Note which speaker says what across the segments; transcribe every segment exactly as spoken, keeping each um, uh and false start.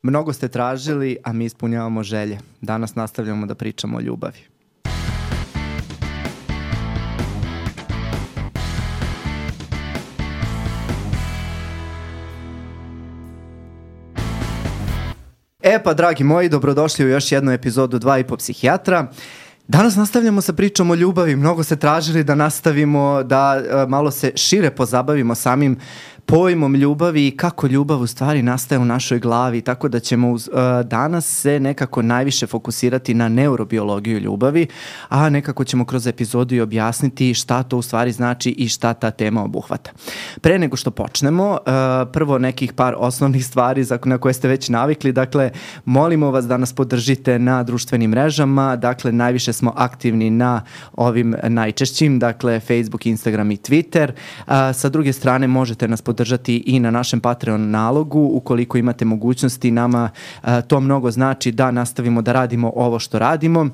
Speaker 1: Mnogo ste tražili, a mi ispunjavamo želje. Danas nastavljamo da pričamo o ljubavi. E pa, dragi moji, dobrodošli u još jednu epizodu Dva i po psihijatra. Danas nastavljamo sa pričom o ljubavi. Mnogo ste tražili da nastavimo, da uh, malo se šire pozabavimo samim pojmom ljubavi i kako ljubav u stvari nastaje u našoj glavi, tako da ćemo uz, uh, danas se nekako najviše fokusirati na neurobiologiju ljubavi, a nekako ćemo kroz epizodu i objasniti šta to u stvari znači i šta ta tema obuhvata. Pre nego što počnemo, uh, prvo nekih par osnovnih stvari za, na koje ste već navikli, dakle, molimo vas da nas podržite na društvenim mrežama, dakle, najviše smo aktivni na ovim najčešćim, dakle, Facebook, Instagram i Twitter. Uh, sa druge strane, možete nas podržati držati i na našem Patreon nalogu, ukoliko imate mogućnosti. Nama a, to mnogo znači da nastavimo da radimo ovo što radimo.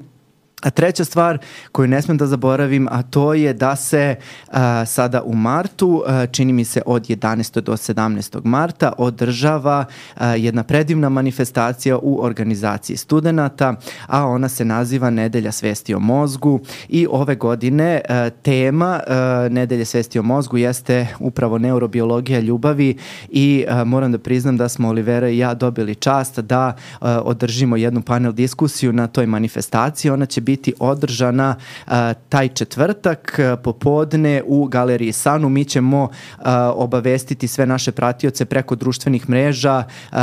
Speaker 1: A treća stvar koju ne smem da zaboravim, a to je da se a, sada u martu, a, čini mi se od jedanaestog do sedamnaestog marta, održava a, jedna predivna manifestacija u organizaciji studenata, a ona se naziva Nedelja svesti o mozgu i ove godine a, tema a, Nedelje svesti o mozgu jeste upravo neurobiologija ljubavi i a, moram da priznam da smo Olivera i ja dobili čast da a, održimo jednu panel diskusiju na toj manifestaciji. Ona će biti održana uh, taj četvrtak uh, popodne u Galeriji Sanu. Mi ćemo uh, obavestiti sve naše pratioce preko društvenih mreža, uh,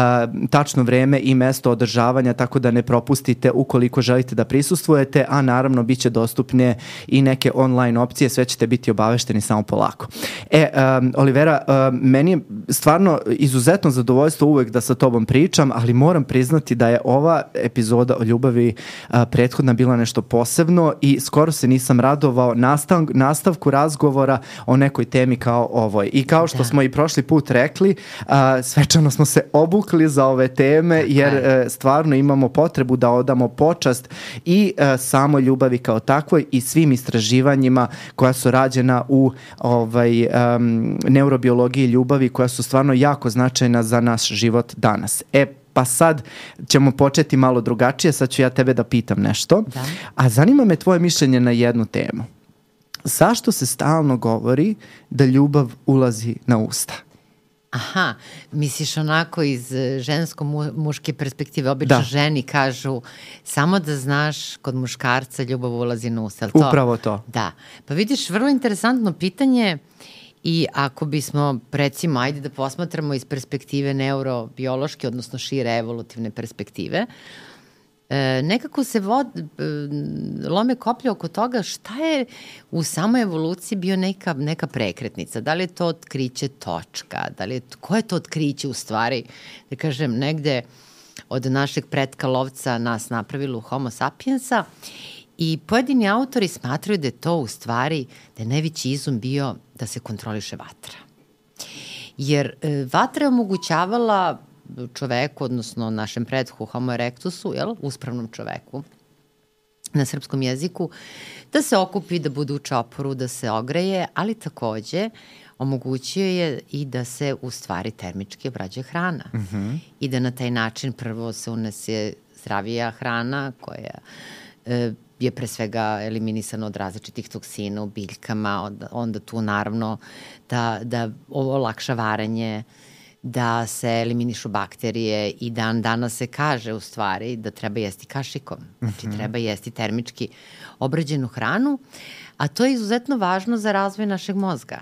Speaker 1: tačno vreme i mesto održavanja, tako da ne propustite ukoliko želite da prisustvujete, a naravno bit će dostupne i neke online opcije, sve ćete biti obavešteni samo polako. E, um, Olivera, um, meni je stvarno izuzetno zadovoljstvo uvek da sa tobom pričam, ali moram priznati da je ova epizoda o ljubavi uh, prethodna bila nešto posebno i skoro se nisam radovao nastav, nastavku razgovora o nekoj temi kao ovoj. I kao što da. smo i prošli put rekli, a, svečano smo se obukli za ove teme jer a, stvarno imamo potrebu da odamo počast i a, samo ljubavi kao takvoj i svim istraživanjima koja su rađena u ovaj, um, neurobiologiji ljubavi, koja su stvarno jako značajna za naš život danas. E, Pa sad ćemo početi malo drugačije, sad ću ja tebe da pitam nešto. Da. A zanima me tvoje mišljenje na jednu temu. Zašto se stalno govori da ljubav ulazi na usta?
Speaker 2: Aha, misliš onako iz žensko-muške perspektive. Obično da. ženi kažu samo da znaš, kod muškarca ljubav ulazi na usta. To?
Speaker 1: Upravo to.
Speaker 2: Da. Pa vidiš, vrlo interesantno pitanje. I ako bismo, recimo, ajde da posmatramo iz perspektive neurobiološke, odnosno šire evolutivne perspektive, e, nekako se vod, e, lome koplje oko toga šta je u samoj evoluciji bio neka, neka prekretnica. Da li je to otkriće točka, da li je, ko je to otkriće u stvari, da kažem, negde od našeg pretka lovca nas napravilo homo sapiensa. I pojedini autori smatraju da je to u stvari, da je najveći izum bio da se kontroliše vatra. Jer e, vatra je omogućavala čoveku, odnosno našem pretku homo erectusu, jel, uspravnom čoveku na srpskom jeziku, da se okupi, da bude u čoporu, da se ogreje, ali takođe omogućio je i da se u stvari termički obrađuje hrana. Mm-hmm. I da na taj način prvo se unese zdravija hrana koja e, je pre svega eliminisano od različitih toksina u biljkama, onda, onda tu naravno da, da ovo olakša varenje, da se eliminišu bakterije i dan danas se kaže u stvari da treba jesti kašikom. Znači mm-hmm. treba jesti termički obrađenu hranu, a to je izuzetno važno za razvoj našeg mozga.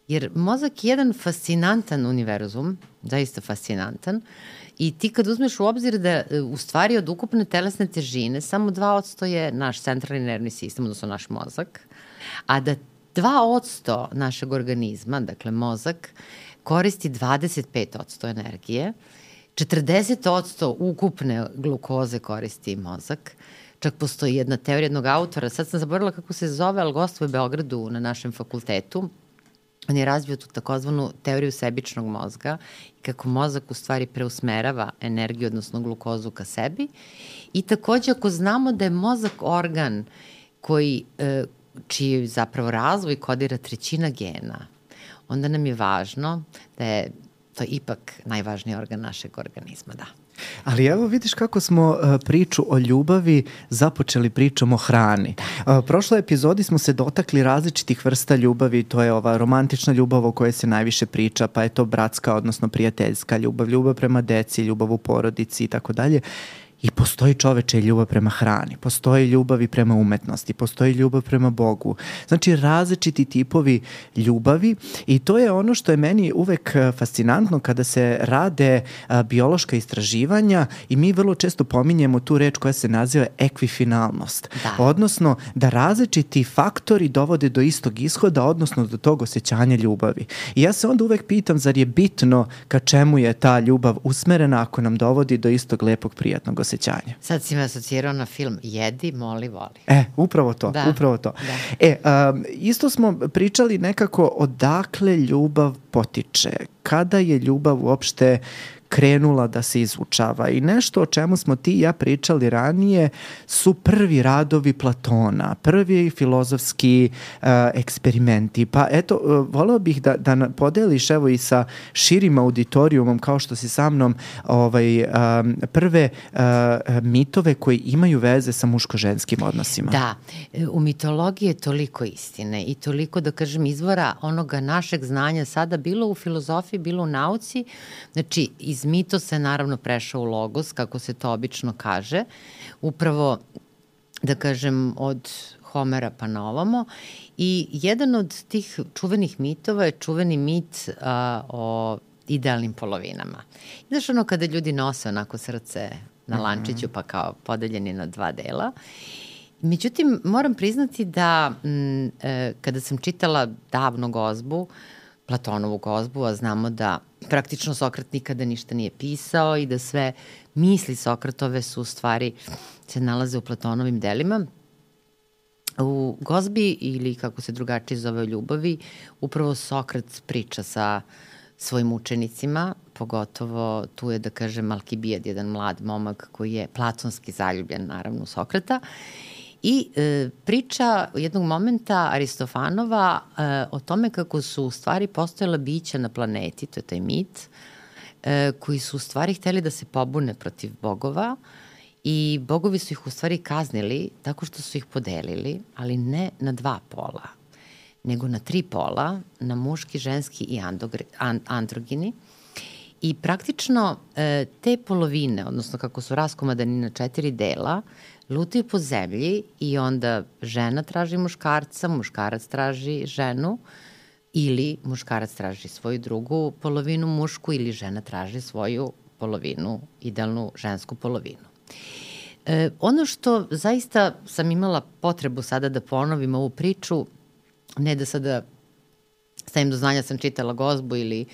Speaker 2: Jer mozak je jedan fascinantan univerzum, zaista fascinantan, i ti kad uzmeš u obzir da u stvari od ukupne telesne težine samo dva odsto je naš centralni nervni sistem, odnosno naš mozak, a da dva odsto našeg organizma, dakle mozak, koristi dvadeset pet odsto energije, četrdeset odsto ukupne glukoze koristi mozak. Čak postoji jedna teorija jednog autora, sad sam zaboravila kako se zove, ali gostuje u Beogradu na našem fakultetu. On je razvio tu takozvanu teoriju sebičnog mozga i kako mozak u stvari preusmerava energiju, odnosno glukozu ka sebi. I takođe ako znamo da je mozak organ koji, čiji zapravo razvoj kodira trećina gena, onda nam je važno da je to ipak najvažniji organ našeg organizma, da.
Speaker 1: Ali evo vidiš kako smo uh, priču o ljubavi započeli pričom o hrani. Uh, prošloj epizodi smo se dotakli različitih vrsta ljubavi, to je ova romantična ljubav o kojoj se najviše priča, pa je to bratska, odnosno prijateljska ljubav, ljubav prema deci, ljubav u porodici i tako dalje. I postoji čoveče ljubav prema hrani, postoji ljubav i prema umetnosti, postoji ljubav prema Bogu. Znači različiti tipovi ljubavi i to je ono što je meni uvek fascinantno kada se rade a, biološka istraživanja i mi vrlo često pominjemo tu reč koja se naziva ekvifinalnost.
Speaker 2: Da.
Speaker 1: Odnosno da različiti faktori dovode do istog ishoda, odnosno do tog osjećanja ljubavi. I ja se onda uvek pitam, zar je bitno ka čemu je ta ljubav usmerena ako nam dovodi do istog lepog prijatnog osjećanja.
Speaker 2: Sad si me asocirao na film Jedi, moli, voli.
Speaker 1: E, upravo to,
Speaker 2: da.
Speaker 1: upravo to.
Speaker 2: Da.
Speaker 1: E, um, isto smo pričali nekako odakle ljubav potiče, kada je ljubav uopšte krenula da se izučava i nešto o čemu smo ti i ja pričali ranije su prvi radovi Platona, prvi filozofski uh, eksperimenti. Pa eto, uh, voleo bih da, da podeliš evo i sa širim auditorijumom kao što si sa mnom ovaj, um, prve uh, mitove koji imaju veze sa muško-ženskim odnosima.
Speaker 2: Da, u mitologiji je toliko istine i toliko, da kažem, izvora onoga našeg znanja sada bilo u filozofiji, bilo u nauci. Znači, iz mitosa je naravno prešao u logos, kako se to obično kaže, upravo, da kažem, od Homera pa na ovamo. I jedan od tih čuvenih mitova je čuveni mit a, o idealnim polovinama. Znaš ono kada ljudi nose onako srce na lančiću pa kao podeljeni na dva dela. Međutim, moram priznati da m, e, kada sam čitala davno Gozbu, Platonovu Gozbu, a znamo da praktično Sokrat nikada ništa nije pisao i da sve misli Sokratove su u stvari se nalaze u Platonovim delima. U Gozbi, ili kako se drugačije zove o ljubavi, upravo Sokrat priča sa svojim učenicima, pogotovo tu je, da kažem, Alkibijad, jedan mlad momak koji je platonski zaljubljen, naravno, u Sokrata. I e, priča jednog momenta Aristofanova e, o tome kako su u stvari postojala bića na planeti, to je taj mit, e, koji su u stvari hteli da se pobune protiv bogova i bogovi su ih u stvari kaznili tako što su ih podelili, ali ne na dva pola, nego na tri pola, na muški, ženski i andogri, and, androgini. I praktično e, te polovine, odnosno kako su raskomadani na četiri dela, lutaju po zemlji i onda žena traži muškarca, muškarac traži ženu ili muškarac traži svoju drugu polovinu mušku ili žena traži svoju polovinu, idealnu žensku polovinu. E, ono što zaista sam imala potrebu sada da ponovim ovu priču, ne da sada stavim do znanja sam čitala Gozbu ili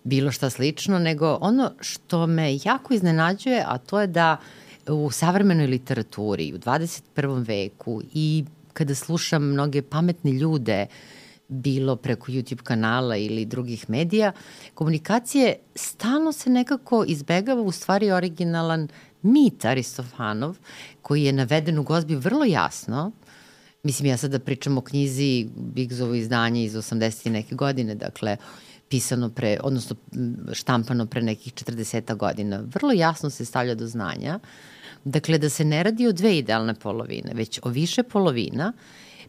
Speaker 2: bilo šta slično, nego ono što me jako iznenađuje, a to je da u savremenoj literaturi, u dvadeset prvom veku i kada slušam mnoge pametne ljude, bilo preko YouTube kanala ili drugih medija, komunikacije stalno se nekako izbegava u stvari originalan mit Aristofanov, koji je naveden u Gozbi vrlo jasno. Mislim, ja sada pričam o knjizi Bigzovo izdanje iz osamdeset neke godine, dakle, pisano pre, odnosno štampano pre nekih četrdeset godina. Vrlo jasno se stavlja do znanja, dakle, da se ne radi o dve idealne polovine, već o više polovina,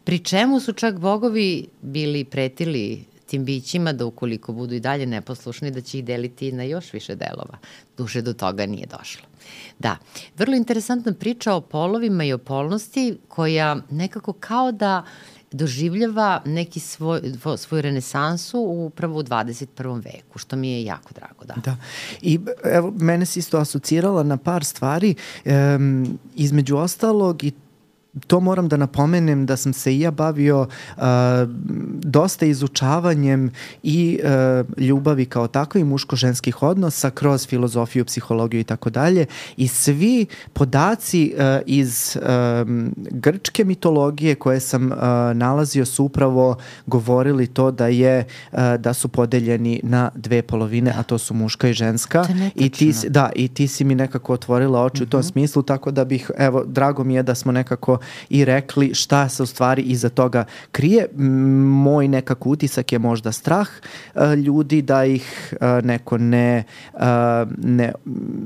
Speaker 2: pri čemu su čak bogovi bili pretili tim bićima da ukoliko budu i dalje neposlušni, da će ih deliti na još više delova. Duše do toga nije došlo. Da, vrlo interesantna priča o polovima i o polnosti koja nekako kao da doživljava neki svoj, svoju renesansu upravo u dvadeset prvom veku, što mi je jako drago. Da.
Speaker 1: Da. I evo, mene si isto asocirala na par stvari, um, između ostalog i to moram da napomenem da sam se i ja bavio uh, dosta izučavanjem i uh, ljubavi kao takve i muško-ženskih odnosa kroz filozofiju, psihologiju i tako dalje. I svi podaci uh, iz um, grčke mitologije koje sam uh, nalazio su upravo govorili to da je uh, da su podeljeni na dve polovine, a to su muška i ženska. I ti, da, i ti si mi nekako otvorila oči mm-hmm. u tom smislu, tako da bih, evo, drago mi je da smo nekako i rekli šta se u stvari iza toga krije. Moj nekako utisak je možda strah uh, ljudi da ih uh, neko ne, uh, ne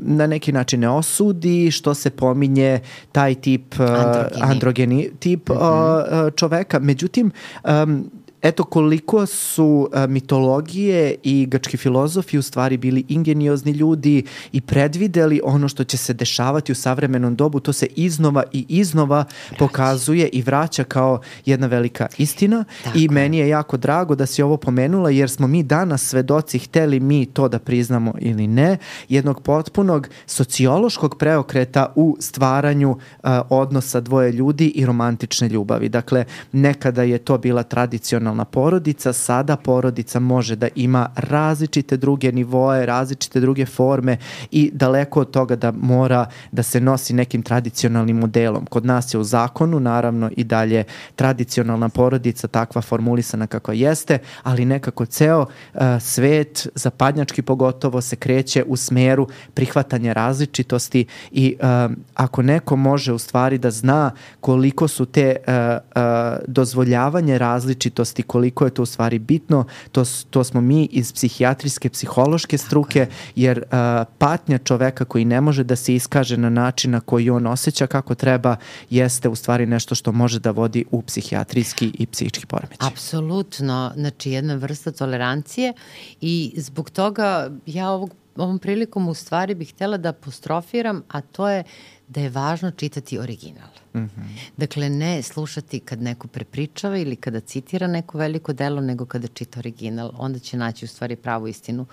Speaker 1: na neki način ne osudi, što se pominje taj tip uh, androgeni. androgeni tip mm-hmm. uh, čoveka. Međutim, um, eto koliko su uh, mitologije i grčki filozofi u stvari bili ingeniozni ljudi i predvideli ono što će se dešavati u savremenom dobu, to se iznova i iznova vraća. pokazuje i vraća kao jedna velika istina. Tako. I meni je jako drago da si ovo pomenula, jer smo mi danas svedoci, hteli mi to da priznamo ili ne, jednog potpunog sociološkog preokreta u stvaranju uh, odnosa dvoje ljudi i romantične ljubavi. Dakle, nekada je to bila tradicionalna porodica, sada porodica može da ima različite druge nivoe, različite druge forme i daleko od toga da mora da se nosi nekim tradicionalnim modelom. Kod nas je u zakonu naravno i dalje tradicionalna porodica takva formulisana kako jeste, ali nekako ceo uh, svet, zapadnjački pogotovo, se kreće u smeru prihvatanja različitosti i uh, ako neko može u stvari da zna koliko su te uh, uh, dozvoljavanje različitosti, koliko je to u stvari bitno, to, to smo mi iz psihijatrijske, psihološke struke, jer uh, patnja čoveka koji ne može da se iskaže na način na koji on osjeća kako treba, jeste u stvari nešto što može da vodi u psihijatrijski i psihički poremećaj.
Speaker 2: Apsolutno, znači jedna vrsta tolerancije i zbog toga ja ovog, ovom prilikom u stvari bih htjela da apostrofiram, a to je da je važno čitati original. Mm-hmm. Dakle, ne slušati kad neko prepričava ili kada citira neko veliko delo, nego kada čita original. Onda će naći u stvari pravu istinu.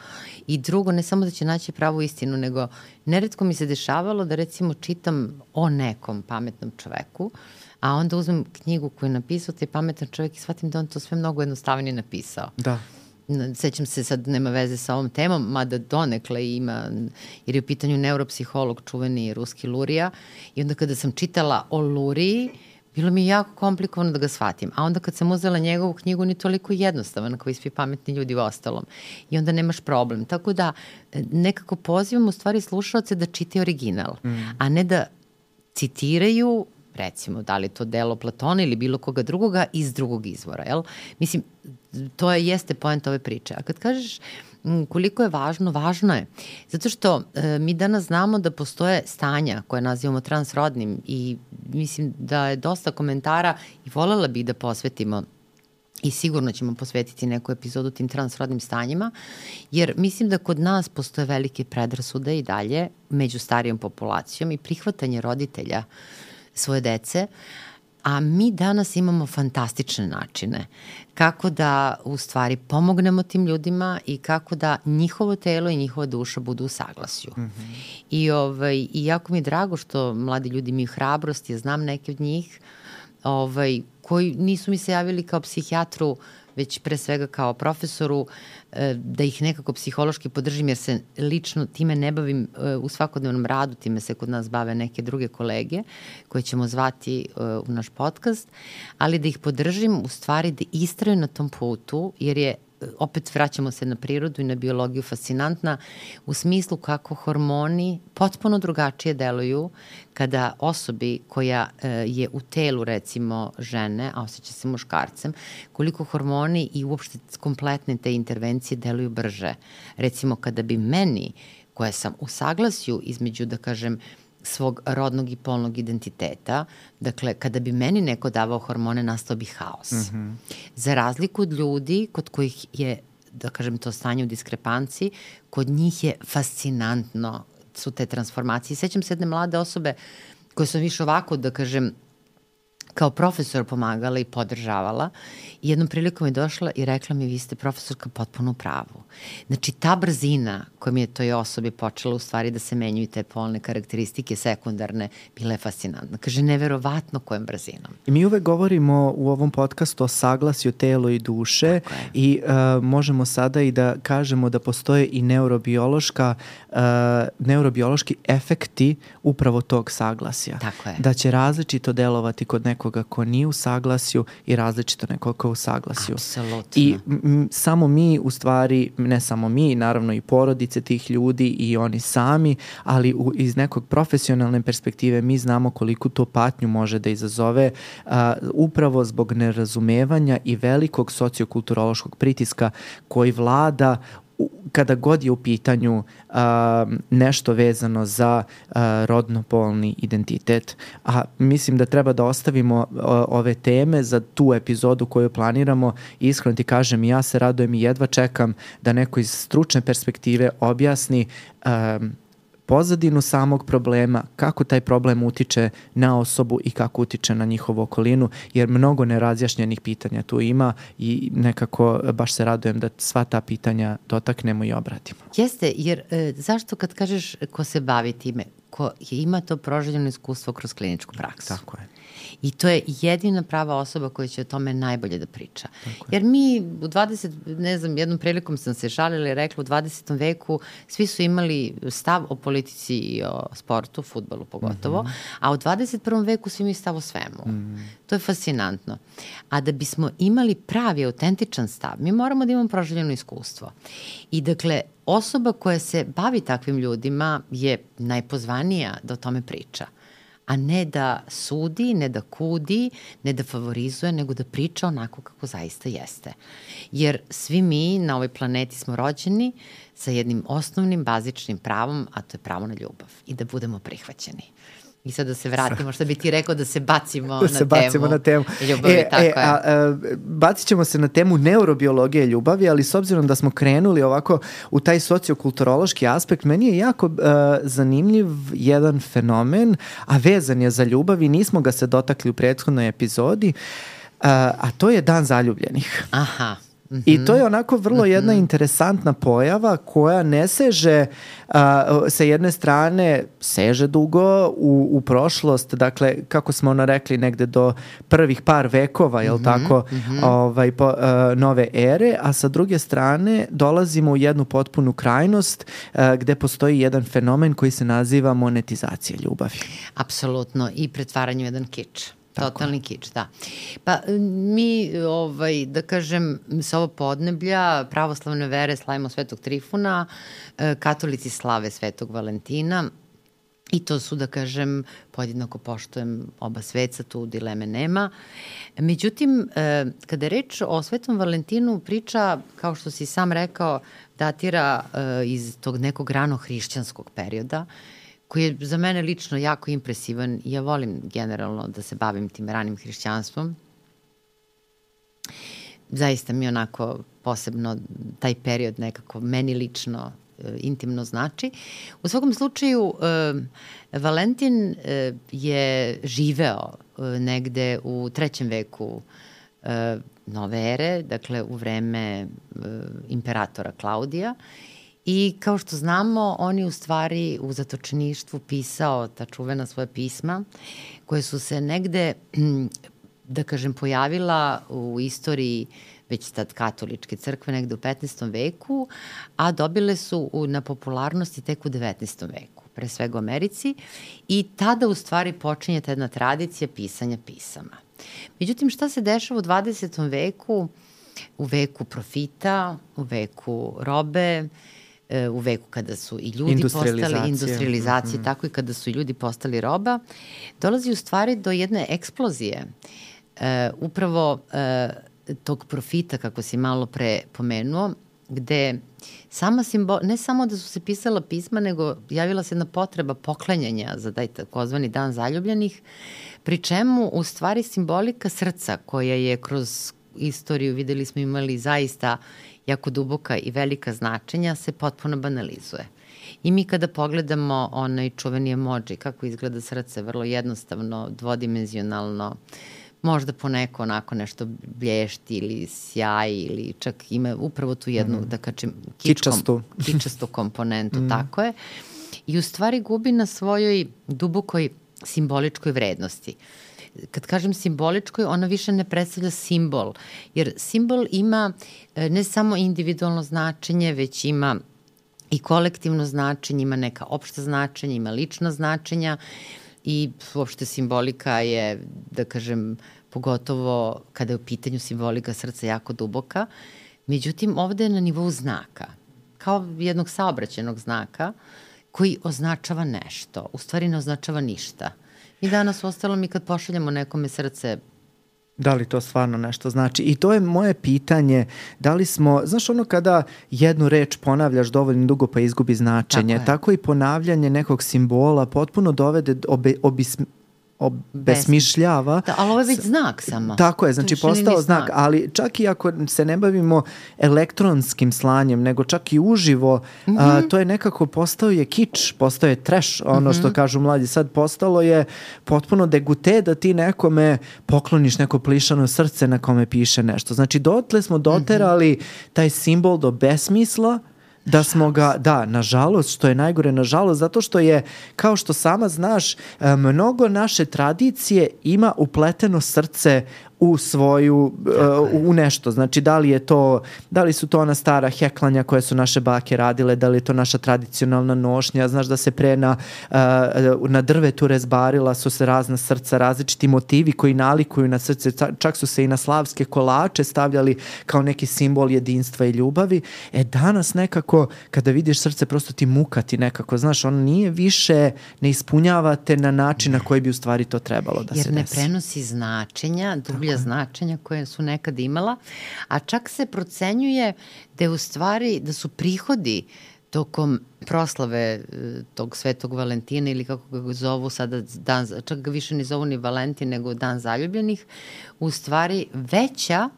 Speaker 2: I drugo, ne samo da će naći pravu istinu, nego neretko mi se dešavalo da recimo čitam o nekom pametnom čoveku, a onda uzmem knjigu koju je napisao taj pametan čovjek i shvatim da on to sve mnogo jednostavnije napisao.
Speaker 1: Da.
Speaker 2: Sećam se, sad nema veze sa ovom temom, mada donekle ima, jer je u pitanju neuropsiholog, čuveni ruski Lurija, i onda kada sam čitala o Luriji, bilo mi je jako komplikovano da ga shvatim. A onda kad sam uzela njegovu knjigu, on je toliko jednostavan kao i svi pametni ljudi u ostalom. I onda nemaš problem. Tako da nekako pozivam u stvari slušalce da čitaju original, mm. a ne da citiraju, recimo, da li to delo Platona ili bilo koga drugoga iz drugog izvora, jel? Mislim, to je, jeste poenta ove priče. A kad kažeš m, koliko je važno, važno je. Zato što e, mi danas znamo da postoje stanja koje nazivamo transrodnim i mislim da je dosta komentara i voljela bih da posvetimo i sigurno ćemo posvetiti neku epizodu tim transrodnim stanjima, jer mislim da kod nas postoje velike predrasude i dalje među starijom populacijom i prihvatanje roditelja svoje dece, a mi danas imamo fantastične načine kako da u stvari pomognemo tim ljudima i kako da njihovo telo i njihova duša budu u saglasju. Mm-hmm. I, ovaj, I jako mi je drago što mladi ljudi imaju hrabrost, ja znam neke od njih ovaj, koji nisu mi se javili kao psihijatru, već pre svega kao profesoru, da ih nekako psihološki podržim, jer se lično time ne bavim u svakodnevnom radu, time se kod nas bave neke druge kolege koje ćemo zvati u naš podcast, ali da ih podržim u stvari da istraju na tom putu, jer je, opet vraćamo se na prirodu i na biologiju, fascinantna u smislu kako hormoni potpuno drugačije deluju kada osobi koja e, je u telu recimo žene, a osjeća se muškarcem, koliko hormoni i uopšte kompletne te intervencije deluju brže. Recimo kada bi meni, koja sam u saglasju između, da kažem, svog rodnog i polnog identiteta, dakle, kada bi meni neko davao hormone, nastao bi haos. Mm-hmm. Za razliku od ljudi kod kojih je, da kažem, to stanje u diskrepanciji, kod njih je fascinantno su te transformacije. Sećam se jedne mlade osobe koje sam više ovako, da kažem, kao profesor pomagala i podržavala. I jednom prilikom je došla i rekla mi, vi ste profesorka potpuno u pravu. Znači, ta brzina kojom je toj osobi počela u stvari da se menjuju te polne karakteristike sekundarne, bila je fascinantna. Kaže, neverovatno kojom brzinom.
Speaker 1: I mi uvek govorimo u ovom podcastu o saglasju telo i duše i uh, možemo sada i da kažemo da postoje i neurobiološka, uh, neurobiološki efekti upravo tog saglasja.
Speaker 2: Tako je.
Speaker 1: Da će različito delovati kod nekog nekoga ko nije u saglasju i različito nekoga ko je u saglasju.
Speaker 2: Apsolutno.
Speaker 1: I m, samo mi, u stvari, ne samo mi, naravno i porodice tih ljudi i oni sami, ali u, iz nekog profesionalne perspektive mi znamo koliko to patnju može da izazove a, upravo zbog nerazumevanja i velikog sociokulturološkog pritiska koji vlada kada god je u pitanju uh, nešto vezano za uh, rodno-polni identitet. A mislim da treba da ostavimo uh, ove teme za tu epizodu koju planiramo. Iskreno ti kažem, ja se radujem i jedva čekam da neko iz stručne perspektive objasni um, pozadinu samog problema, kako taj problem utiče na osobu i kako utiče na njihovu okolinu, jer mnogo nerazjašnjenih pitanja tu ima i nekako baš se radujem da sva ta pitanja dotaknemo i obratimo.
Speaker 2: Jeste, jer e, zašto kad kažeš ko se bavi time, ko ima to proželjeno iskustvo kroz kliničku praksu?
Speaker 1: Tako je.
Speaker 2: I to je jedina prava osoba koja će o tome najbolje da priča. Jer mi u dvadesetom, ne znam, jednom prilikom sam se šalila i rekla, u dvadesetom veku svi su imali stav o politici i o sportu, fudbalu pogotovo, mm-hmm. a u dvadeset prvom veku svi imaju stav o svemu. Mm. To je fascinantno. A da bismo imali pravi, autentičan stav, mi moramo da imamo proželjeno iskustvo. I dakle, osoba koja se bavi takvim ljudima je najpozvanija da o tome priča, a ne da sudi, ne da kudi, ne da favorizuje, nego da priča onako kako zaista jeste. Jer svi mi na ovoj planeti smo rođeni sa jednim osnovnim, bazičnim pravom, a to je pravo na ljubav i da budemo prihvaćeni. I sad da se vratimo, što bi ti rekao, da se bacimo,
Speaker 1: da
Speaker 2: na,
Speaker 1: se
Speaker 2: temu
Speaker 1: bacimo na temu
Speaker 2: ljubavi,
Speaker 1: e,
Speaker 2: tako
Speaker 1: e,
Speaker 2: je.
Speaker 1: A, a, bacit ćemo se na temu neurobiologije ljubavi, ali s obzirom da smo krenuli ovako u taj sociokulturološki aspekt, meni je jako a, zanimljiv jedan fenomen, a vezan je za ljubav i nismo ga se dotakli u prethodnoj epizodi, a, a to je Dan zaljubljenih.
Speaker 2: Aha. Mm-hmm.
Speaker 1: I to je onako vrlo jedna mm-hmm. interesantna pojava koja ne seže a, sa jedne strane seže dugo u, u prošlost, dakle kako smo ono rekli negde do prvih par vekova, jel mm-hmm. tako, mm-hmm. Ovaj, po, a, nove ere, a sa druge strane dolazimo u jednu potpunu krajnost a, gde postoji jedan fenomen koji se naziva monetizacija ljubavi.
Speaker 2: Apsolutno, i pretvaranje u jedan kič. Totalni kič, da. Pa mi, ovaj, da kažem, sa ovo podneblja pravoslavne vere slavimo Svetog Trifuna, katolici slave Svetog Valentina i to su, da kažem, podjednako poštujem oba sveca, tu dileme nema. Međutim, kada je reč o Svetom Valentinu, priča, kao što si sam rekao, datira iz tog nekog rano hrišćanskog perioda, koji je za mene lično jako impresivan i ja volim generalno da se bavim tim ranim hrišćanstvom. Zaista mi onako posebno taj period nekako meni lično e, intimno znači. U svakom slučaju, e, Valentin e, je živeo e, negde u trećem veku e, nove ere, dakle u vreme e, imperatora Klaudija. I kao što znamo, on je u stvari u zatočeništvu pisao ta čuvena svoja pisma, koje su se negde, da kažem, pojavila u istoriji već tad katoličke crkve negde u petnaestom veku, a dobile su na popularnosti tek u devetnaestom veku, pre svega u Americi, i tada u stvari počinje ta jedna tradicija pisanja pisama. Međutim, šta se dešava u dvadesetom veku, u veku profita, u veku robe, u veku kada su i ljudi postali industrializacije, mm-hmm. tako i kada su i ljudi postali roba, dolazi u stvari do jedne eksplozije e, upravo e, tog profita, kako si malo pre pomenuo, gde sama simbol, ne samo da su se pisala pisma, nego javila se jedna potreba poklanjanja za taj takozvani Dan zaljubljenih, pri čemu u stvari simbolika srca koja je kroz istoriju, videli smo, imali zaista jako duboka i velika značenja, se potpuno banalizuje. I mi kada pogledamo onaj čuveni emoji, kako izgleda srce, vrlo jednostavno, dvodimenzionalno, možda poneko onako nešto blješti ili sjaj ili čak ima upravo tu jednu, mm. da kažem,
Speaker 1: kičastu.
Speaker 2: kičastu komponentu, mm. tako je. I u stvari gubi na svojoj dubokoj simboličkoj vrednosti. Kad kažem simboličkoj, ona više ne predstavlja simbol, jer simbol ima ne samo individualno značenje, već ima i kolektivno značenje, ima neka opšta značenja, ima lična značenja i uopšte simbolika je, da kažem, pogotovo kada je u pitanju simbolika srca jako duboka. Međutim, ovde je na nivou znaka, kao jednog saobraćajnog znaka koji označava nešto. U stvari ne označava ništa. Mi danas u ostalom i kad pošaljamo nekome srce,
Speaker 1: da li to stvarno nešto znači? I to je moje pitanje, da li smo, znaš ono kada jednu reč ponavljaš dovoljno dugo pa izgubi značenje, tako, tako i ponavljanje nekog simbola potpuno dovede, obe, obis, obesmišljava.
Speaker 2: Da, ali ovo je već znak samo.
Speaker 1: Tako je, znači postao znak, ali čak i ako se ne bavimo elektronskim slanjem, nego čak i uživo, mm-hmm. a, to je nekako postao je kič, postao je trash, ono mm-hmm. što kažu mladi, sad postalo je potpuno degute da ti nekome pokloniš neko plišano srce na kome piše nešto. Znači dotle smo doterali mm-hmm. taj simbol do besmisla, da smo ga, da, nažalost, što je najgore, nažalost, zato što je, kao što sama znaš, mnogo naše tradicije ima upleteno srce u svoju, uh, u nešto. Znači, da li je to, da li su to ona stara heklanja koje su naše bake radile, da li je to naša tradicionalna nošnja, znaš da se pre na, uh, na drvetu rezbarila su se razna srca, različiti motivi koji nalikuju na srce, čak su se i na slavske kolače stavljali kao neki simbol jedinstva i ljubavi. E, danas nekako, kada vidiš srce, prosto ti mukati nekako, znaš, ono nije više, ne ispunjavate na način na koji bi u stvari to trebalo da
Speaker 2: jer
Speaker 1: se desi.
Speaker 2: Jer ne prenosi značenja, dublja značenja koje su nekad imala, a čak se procenjuje da je u stvari, da su prihodi tokom proslave tog Svetog Valentina ili kako ga zovu sada, dan, čak ga više ne zovu ni Valentin nego Dan zaljubljenih, u stvari veća,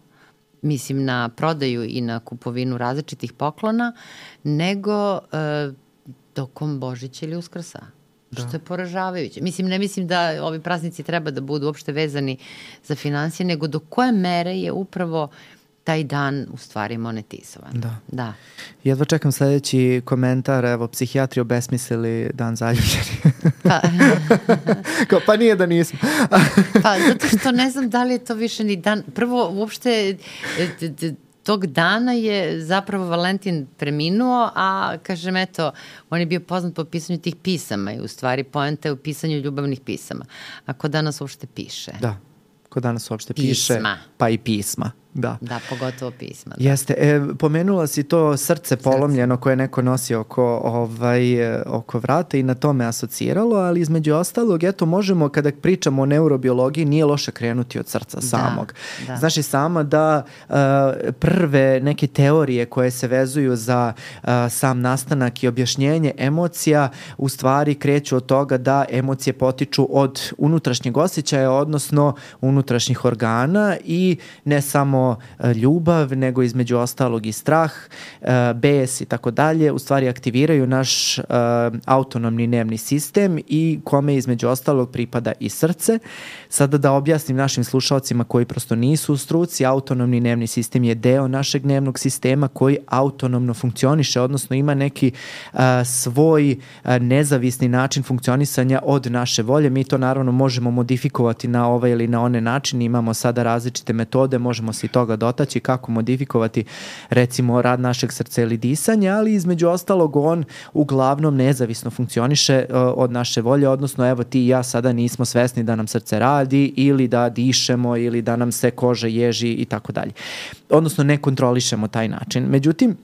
Speaker 2: mislim na prodaju i na kupovinu različitih poklona, nego e, tokom Božića ili Uskrsa. Da. Što je poražavajuće. Mislim, ne mislim da ovi praznici treba da budu uopšte vezani za financije, nego do koje mere je upravo taj dan u stvari monetizovan.
Speaker 1: Da.
Speaker 2: Da.
Speaker 1: Jedva čekam sledeći komentar, evo, psihijatri obesmislili Dan zaljubljenih.
Speaker 2: Pa,
Speaker 1: Kao, pa nije da nismo.
Speaker 2: Pa, zato što ne znam da li je to više ni dan. Prvo, uopšte, tog dana je zapravo Valentin preminuo, a kažem, eto, on je bio poznat po pisanju tih pisama i u stvari poenta je u pisanju ljubavnih pisama. A ko danas uopšte piše?
Speaker 1: Da, ko danas uopšte
Speaker 2: pisma.
Speaker 1: piše, pa i pisma. Da.
Speaker 2: Da, pogotovo pisma. Da.
Speaker 1: Jeste. E, pomenula si to srce polomljeno srce. Koje neko nosi oko, ovaj, oko vrata i na tome asociralo, ali između ostalog, eto, možemo, kada pričamo o neurobiologiji, nije loše krenuti od srca samog.
Speaker 2: Da, da.
Speaker 1: Znaš i sama da uh, prve neke teorije koje se vezuju za uh, sam nastanak i objašnjenje emocija u stvari kreću od toga da emocije potiču od unutrašnjeg osjećaja, odnosno unutrašnjih organa i ne samo ljubav, nego između ostalog i strah, bes i tako dalje, u stvari aktiviraju naš uh, autonomni nervni sistem i kome između ostalog pripada i srce. Sada da objasnim našim slušalcima koji prosto nisu u struci, autonomni nervni sistem je deo našeg nervnog sistema koji autonomno funkcioniše, odnosno ima neki uh, svoj uh, nezavisni način funkcionisanja od naše volje. Mi to naravno možemo modifikovati na ovaj ili na one način. Imamo sada različite metode, možemo se i toga dotaći kako modifikovati recimo rad našeg srca ili disanja, ali između ostalog on uglavnom nezavisno funkcioniše uh, od naše volje, odnosno evo ti i ja sada nismo svesni da nam srce radi ili da dišemo ili da nam se koža ježi i tako dalje. Odnosno ne kontrolišemo taj način. Međutim,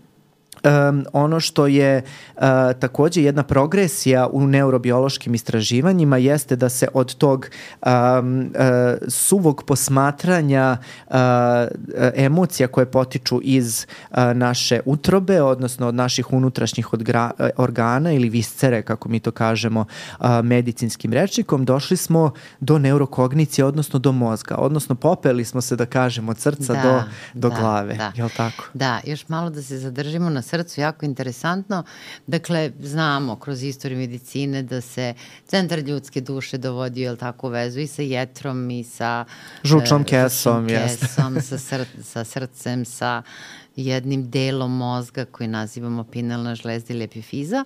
Speaker 1: Um, ono što je uh, takođe jedna progresija u neurobiološkim istraživanjima jeste da se od tog um, uh, suvog posmatranja uh, emocija koje potiču iz uh, naše utrobe, odnosno od naših unutrašnjih odgra- organa ili viscere, kako mi to kažemo uh, medicinskim rečnikom, došli smo do neurokognicije, odnosno do mozga, odnosno popeli smo se, da kažemo, od srca
Speaker 2: da,
Speaker 1: do, do
Speaker 2: da,
Speaker 1: glave.
Speaker 2: Da.
Speaker 1: Jel tako?
Speaker 2: Da, još malo da se zadržimo na srcu, jako interesantno. Dakle, znamo kroz istoriju medicine da se centar ljudske duše dovodio, jel tako, u vezu i sa jetrom i sa
Speaker 1: žučnom
Speaker 2: e,
Speaker 1: kesom,
Speaker 2: kesom sa, sr sa srcem, sa jednim delom mozga koji nazivamo pinalna žlezda ili epifiza.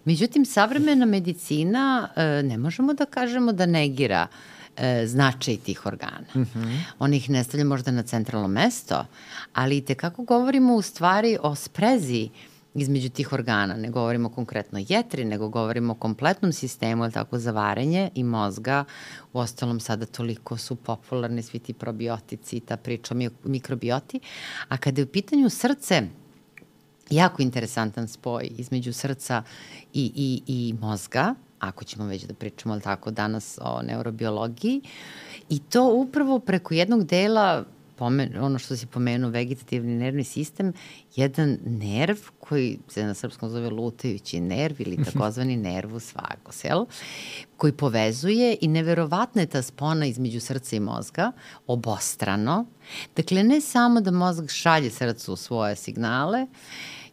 Speaker 2: Međutim, savremena medicina e, ne možemo da kažemo da negira značaj tih organa. Mm-hmm. On ih ne stavlja možda na centralno mesto, ali i tekako govorimo u stvari o sprezi između tih organa. Ne govorimo konkretno jetri, nego govorimo o kompletnom sistemu, ali tako, za varenje i mozga. U ostalom, sada toliko su popularni svi ti probiotici i ta priča o mikrobioti. A kada je u pitanju srce, jako interesantan spoj između srca i, i, i mozga, ako ćemo već da pričamo, ali tako, danas o neurobiologiji, i to upravo preko jednog dela, pomen, ono što si pomenuo, vegetativni nervni sistem, jedan nerv koji se na srpskom zove lutajući nerv ili takozvani nervus vagus, jel? Koji povezuje, i neverovatna je ta spona između srca i mozga, obostrano. Dakle, ne samo da mozak šalje srcu svoje signale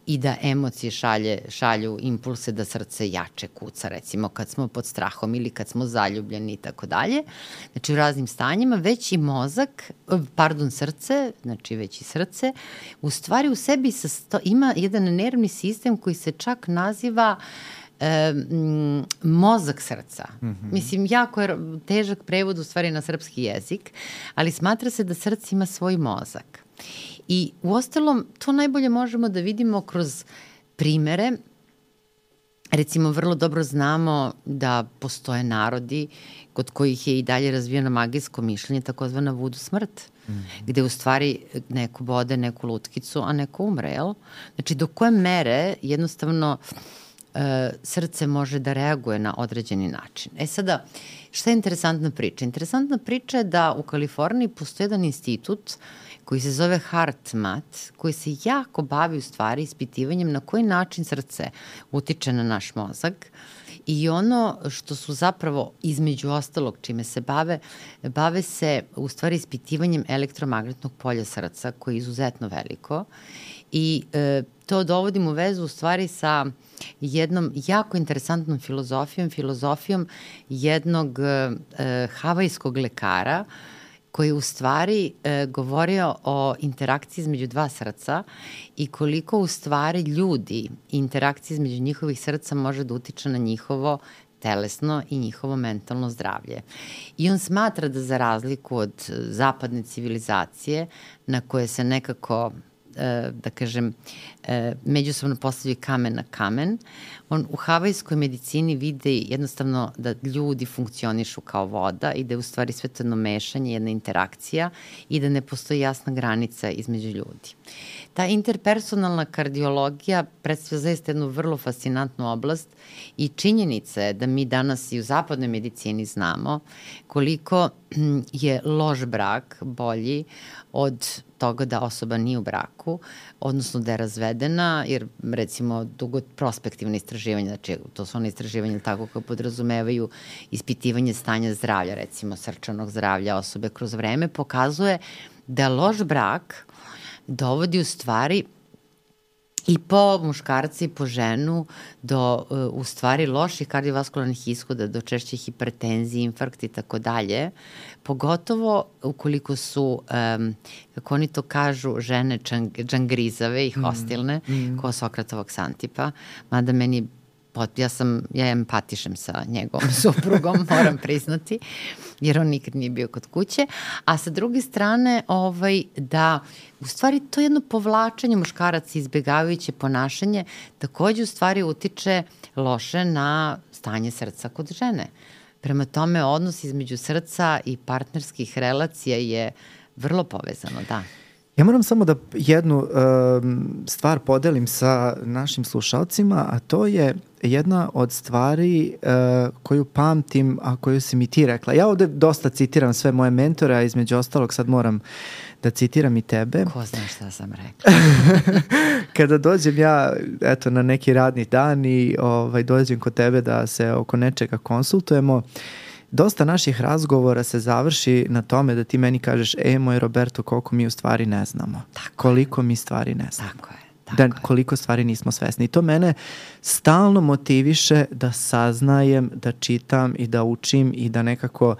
Speaker 2: i da emocije šalje, šalju impulse da srce jače kuca, recimo kad smo pod strahom ili kad smo zaljubljeni i tako dalje. Znači u raznim stanjima, već i mozak, pardon, srce, znači već i srce, u stvari u sebi sasto, ima jedan nervni sistem koji se čak naziva E, m, mozak srca. Mm-hmm. Mislim, jako je težak prevod u stvari na srpski jezik, ali smatra se da srce ima svoj mozak. I u ostalom, to najbolje možemo da vidimo kroz primere. Recimo, vrlo dobro znamo da postoje narodi kod kojih je i dalje razvijeno magijsko mišljenje, takozvana vudu smrt, mm-hmm. gde u stvari neko bode neku lutkicu, a neko umre, jel? Znači, do koje mere jednostavno srce može da reaguje na određeni način. E sada, šta je interesantna priča? Interesantna priča je da u Kaliforniji postoji jedan institut koji se zove HeartMath, koji se jako bavi u stvari ispitivanjem na koji način srce utiče na naš mozak. I ono što su zapravo između ostalog čime se bave, bave se u stvari ispitivanjem elektromagnetnog polja srca, koje je izuzetno veliko. I e, to dovodim u vezu u stvari sa jednom jako interesantnom filozofijom, filozofijom jednog e, havajskog lekara koji je u stvari e, govorio o interakciji između dva srca i koliko u stvari ljudi i interakcija između njihovih srca može da utiče na njihovo telesno i njihovo mentalno zdravlje. I on smatra da za razliku od zapadne civilizacije na koje se nekako da kažem, međusobno postavljaju kamen na kamen, on u havajskoj medicini vide jednostavno da ljudi funkcionišu kao voda i da je u stvari sve to jedno mešanje, jedna interakcija i da ne postoji jasna granica između ljudi. Ta interpersonalna kardiologija predstavlja zaista jednu vrlo fascinantnu oblast i činjenica je da mi danas i u zapadnoj medicini znamo koliko je loš brak bolji od toga da osoba nije u braku, odnosno da je razvedena, jer recimo dugo prospektivne istraživanja, znači to su one istraživanja tako koje podrazumevaju ispitivanje stanja zdravlja, recimo srčanog zdravlja osobe kroz vreme, pokazuje da loš brak dovodi u stvari i po muškarca i po ženu do u stvari loših kardiovaskularnih ishoda, do češće hipertenzije, infarkta i tako dalje, pogotovo ukoliko su, um, kako oni to kažu, žene čang, džangrizave i hostilne, mm, mm. ko Sokratovog Ksantipa, mada meni ja sam, ja empatišem sa njegovom suprugom, moram priznati, jer on nikad nije bio kod kuće, a sa druge strane, ovaj, da u stvari to jedno povlačenje muškaraca, izbjegavajuće ponašanje, takođe u stvari utiče loše na stanje srca kod žene. Prema tome, odnos između srca i partnerskih relacija je vrlo povezano, da.
Speaker 1: Ja moram samo da jednu um, stvar podelim sa našim slušalcima, a to je jedna od stvari uh, koju pamtim, a koju si mi ti rekla. Ja ovde dosta citiram sve moje mentore, a između ostalog sad moram da citiram i tebe.
Speaker 2: Ko zna šta sam rekla?
Speaker 1: Kada dođem ja eto, na neki radni dan i ovaj, dođem kod tebe da se oko nečega konsultujemo, dosta naših razgovora se završi na tome da ti meni kažeš, e, moj Roberto, koliko mi u stvari ne znamo.
Speaker 2: Tako
Speaker 1: koliko mi stvari ne znamo.
Speaker 2: Tako je. Tako
Speaker 1: da,
Speaker 2: je.
Speaker 1: Koliko stvari nismo svesni. I to mene stalno motiviše da saznajem, da čitam i da učim i da nekako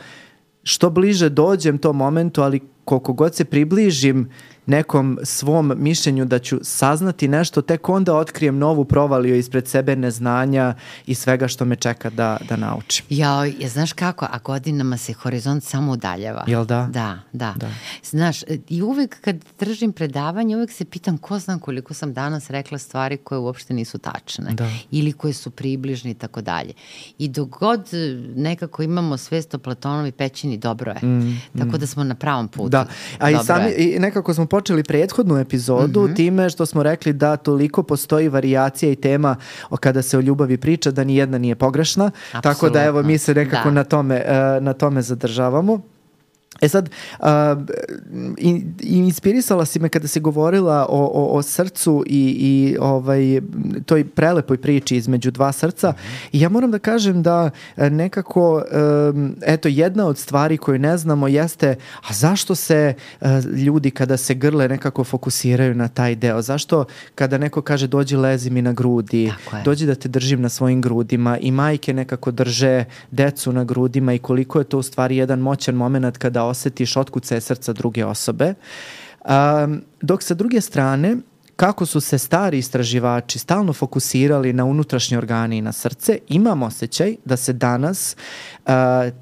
Speaker 1: što bliže dođem tom momentu, ali koliko god se približim nekom svom mišljenju da ću saznati nešto, tek onda otkrijem novu provaliju ispred sebe neznanja i svega što me čeka da, da naučim.
Speaker 2: Ja, ja, znaš kako, a godinama se horizont samo udaljava.
Speaker 1: Jel da?
Speaker 2: Da, da.
Speaker 1: Da.
Speaker 2: Znaš, i uvek kad držim predavanje, uvek se pitam ko znam koliko sam danas rekla stvari koje uopšte nisu tačne.
Speaker 1: Da.
Speaker 2: Ili koje su približne i tako dalje. I dok god nekako imamo svest o Platonovi pećini, dobro je. Mm, tako mm. da smo na pravom putu.
Speaker 1: Da, a i, sami,
Speaker 2: je.
Speaker 1: i nekako smo počeli prethodnu epizodu mm-hmm. time što smo rekli da toliko postoji varijacija i tema o kada se o ljubavi priča da ni jedna nije pogrešna. Absolutno. Tako da evo mi se nekako na tome, na tome zadržavamo. E sad, uh, in, inspirisala si me kada si govorila o, o, o srcu i, i ovaj, toj prelepoj priči između dva srca mm-hmm. i ja moram da kažem da nekako, um, eto, jedna od stvari koju ne znamo jeste, a zašto se uh, ljudi kada se grle nekako fokusiraju na taj deo? Zašto kada neko kaže dođi lezi mi na grudi, dođi da te držim na svojim grudima i majke nekako drže decu na grudima i koliko je to u stvari jedan moćan moment kada osetiš otkucaje srca druge osobe. Um, dok sa druge strane, kako su se stari istraživači stalno fokusirali na unutrašnje organe i na srce, imam osjećaj da se danas uh,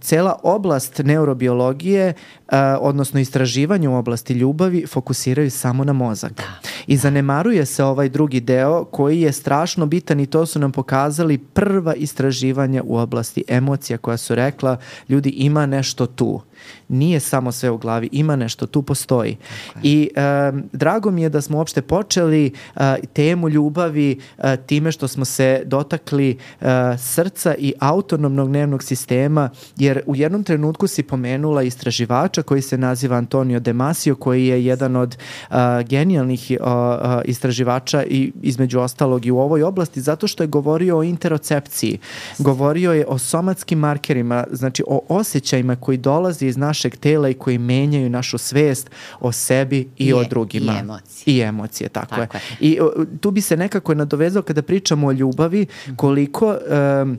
Speaker 1: cela oblast neurobiologije, uh, odnosno istraživanje u oblasti ljubavi, fokusiraju samo na mozak.
Speaker 2: Da.
Speaker 1: I zanemaruje se ovaj drugi deo koji je strašno bitan i to su nam pokazali prva istraživanja u oblasti emocija koja su rekla ljudi ima nešto tu. Nije samo sve u glavi, ima nešto, tu postoji. Okay. I um, drago mi je da smo uopšte počeli uh, temu ljubavi uh, time što smo se dotakli uh, srca i autonomnog nervnog sistema, jer u jednom trenutku si pomenula istraživača koji se naziva Antonio Damasio, koji je jedan od uh, genijalnih uh, uh, istraživača i između ostalog i u ovoj oblasti, zato što je govorio o interocepciji. Govorio je o somatskim markerima, znači o osjećajima koji dolazi iz našeg tela i koji menjaju našu svest o sebi i je, o drugima.
Speaker 2: I emocije.
Speaker 1: I emocije, tako,
Speaker 2: tako
Speaker 1: je.
Speaker 2: je.
Speaker 1: I o, tu bi se nekako nadovezao kada pričamo o ljubavi, koliko um,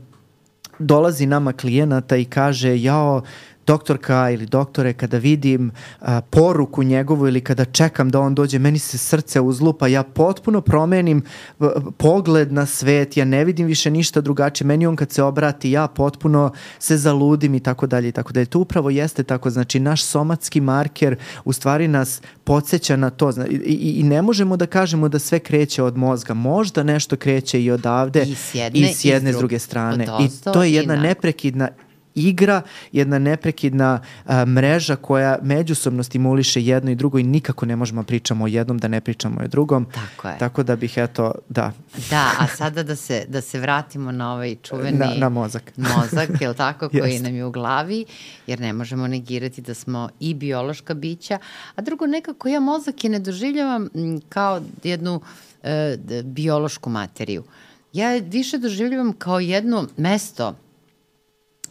Speaker 1: dolazi nama klijenata i kaže jao, doktorka ili doktore, kada vidim uh, poruku njegovu ili kada čekam da on dođe, meni se srce uzlupa, ja potpuno promenim uh, pogled na svet, ja ne vidim više ništa drugačije, meni on kad se obrati, ja potpuno se zaludim i tako dalje i tako dalje. To upravo jeste tako, znači naš somatski marker u stvari nas podsjeća na to i, i, i ne možemo da kažemo da sve kreće od mozga, možda nešto kreće i odavde
Speaker 2: i s jedne,
Speaker 1: i s jedne i s druge strane i to je jedna neprekidna igra, jedna neprekidna a, mreža koja međusobno stimuliše jedno i drugo i nikako ne možemo pričamo o jednom da ne pričamo o drugom.
Speaker 2: Tako je.
Speaker 1: Tako da bih eto, da.
Speaker 2: Da, a sada da se, da se vratimo na ovaj čuveni
Speaker 1: na, na mozak.
Speaker 2: Mozak, je li tako, koji nam je u glavi, jer ne možemo negirati da smo i biološka bića, a drugo nekako ja mozak je ne doživljavam kao jednu e, biološku materiju. Ja više doživljavam kao jedno mesto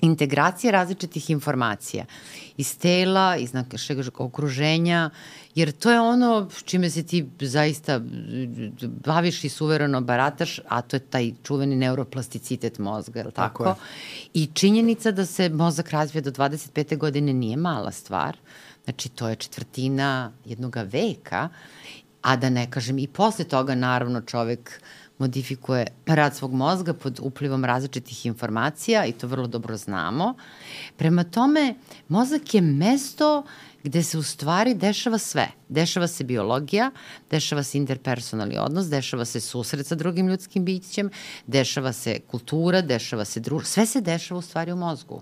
Speaker 2: integracije različitih informacija iz tela, iz našeg okruženja, jer to je ono čime se ti zaista baviš i suvereno barataš, a to je taj čuveni neuroplasticitet mozga, je li tako? tako je. I činjenica da se mozak razvija do dvadeset pete godine nije mala stvar, znači to je četvrtina jednog veka, a da ne kažem i posle toga naravno čovek modifikuje rad svog mozga pod uplivom različitih informacija i to vrlo dobro znamo. Prema tome, mozak je mesto gde se u stvari dešava sve. Dešava se biologija, dešava se interpersonalni odnos, dešava se susret sa drugim ljudskim bićem, dešava se kultura, dešava se društvo. Sve se dešava u stvari u mozgu.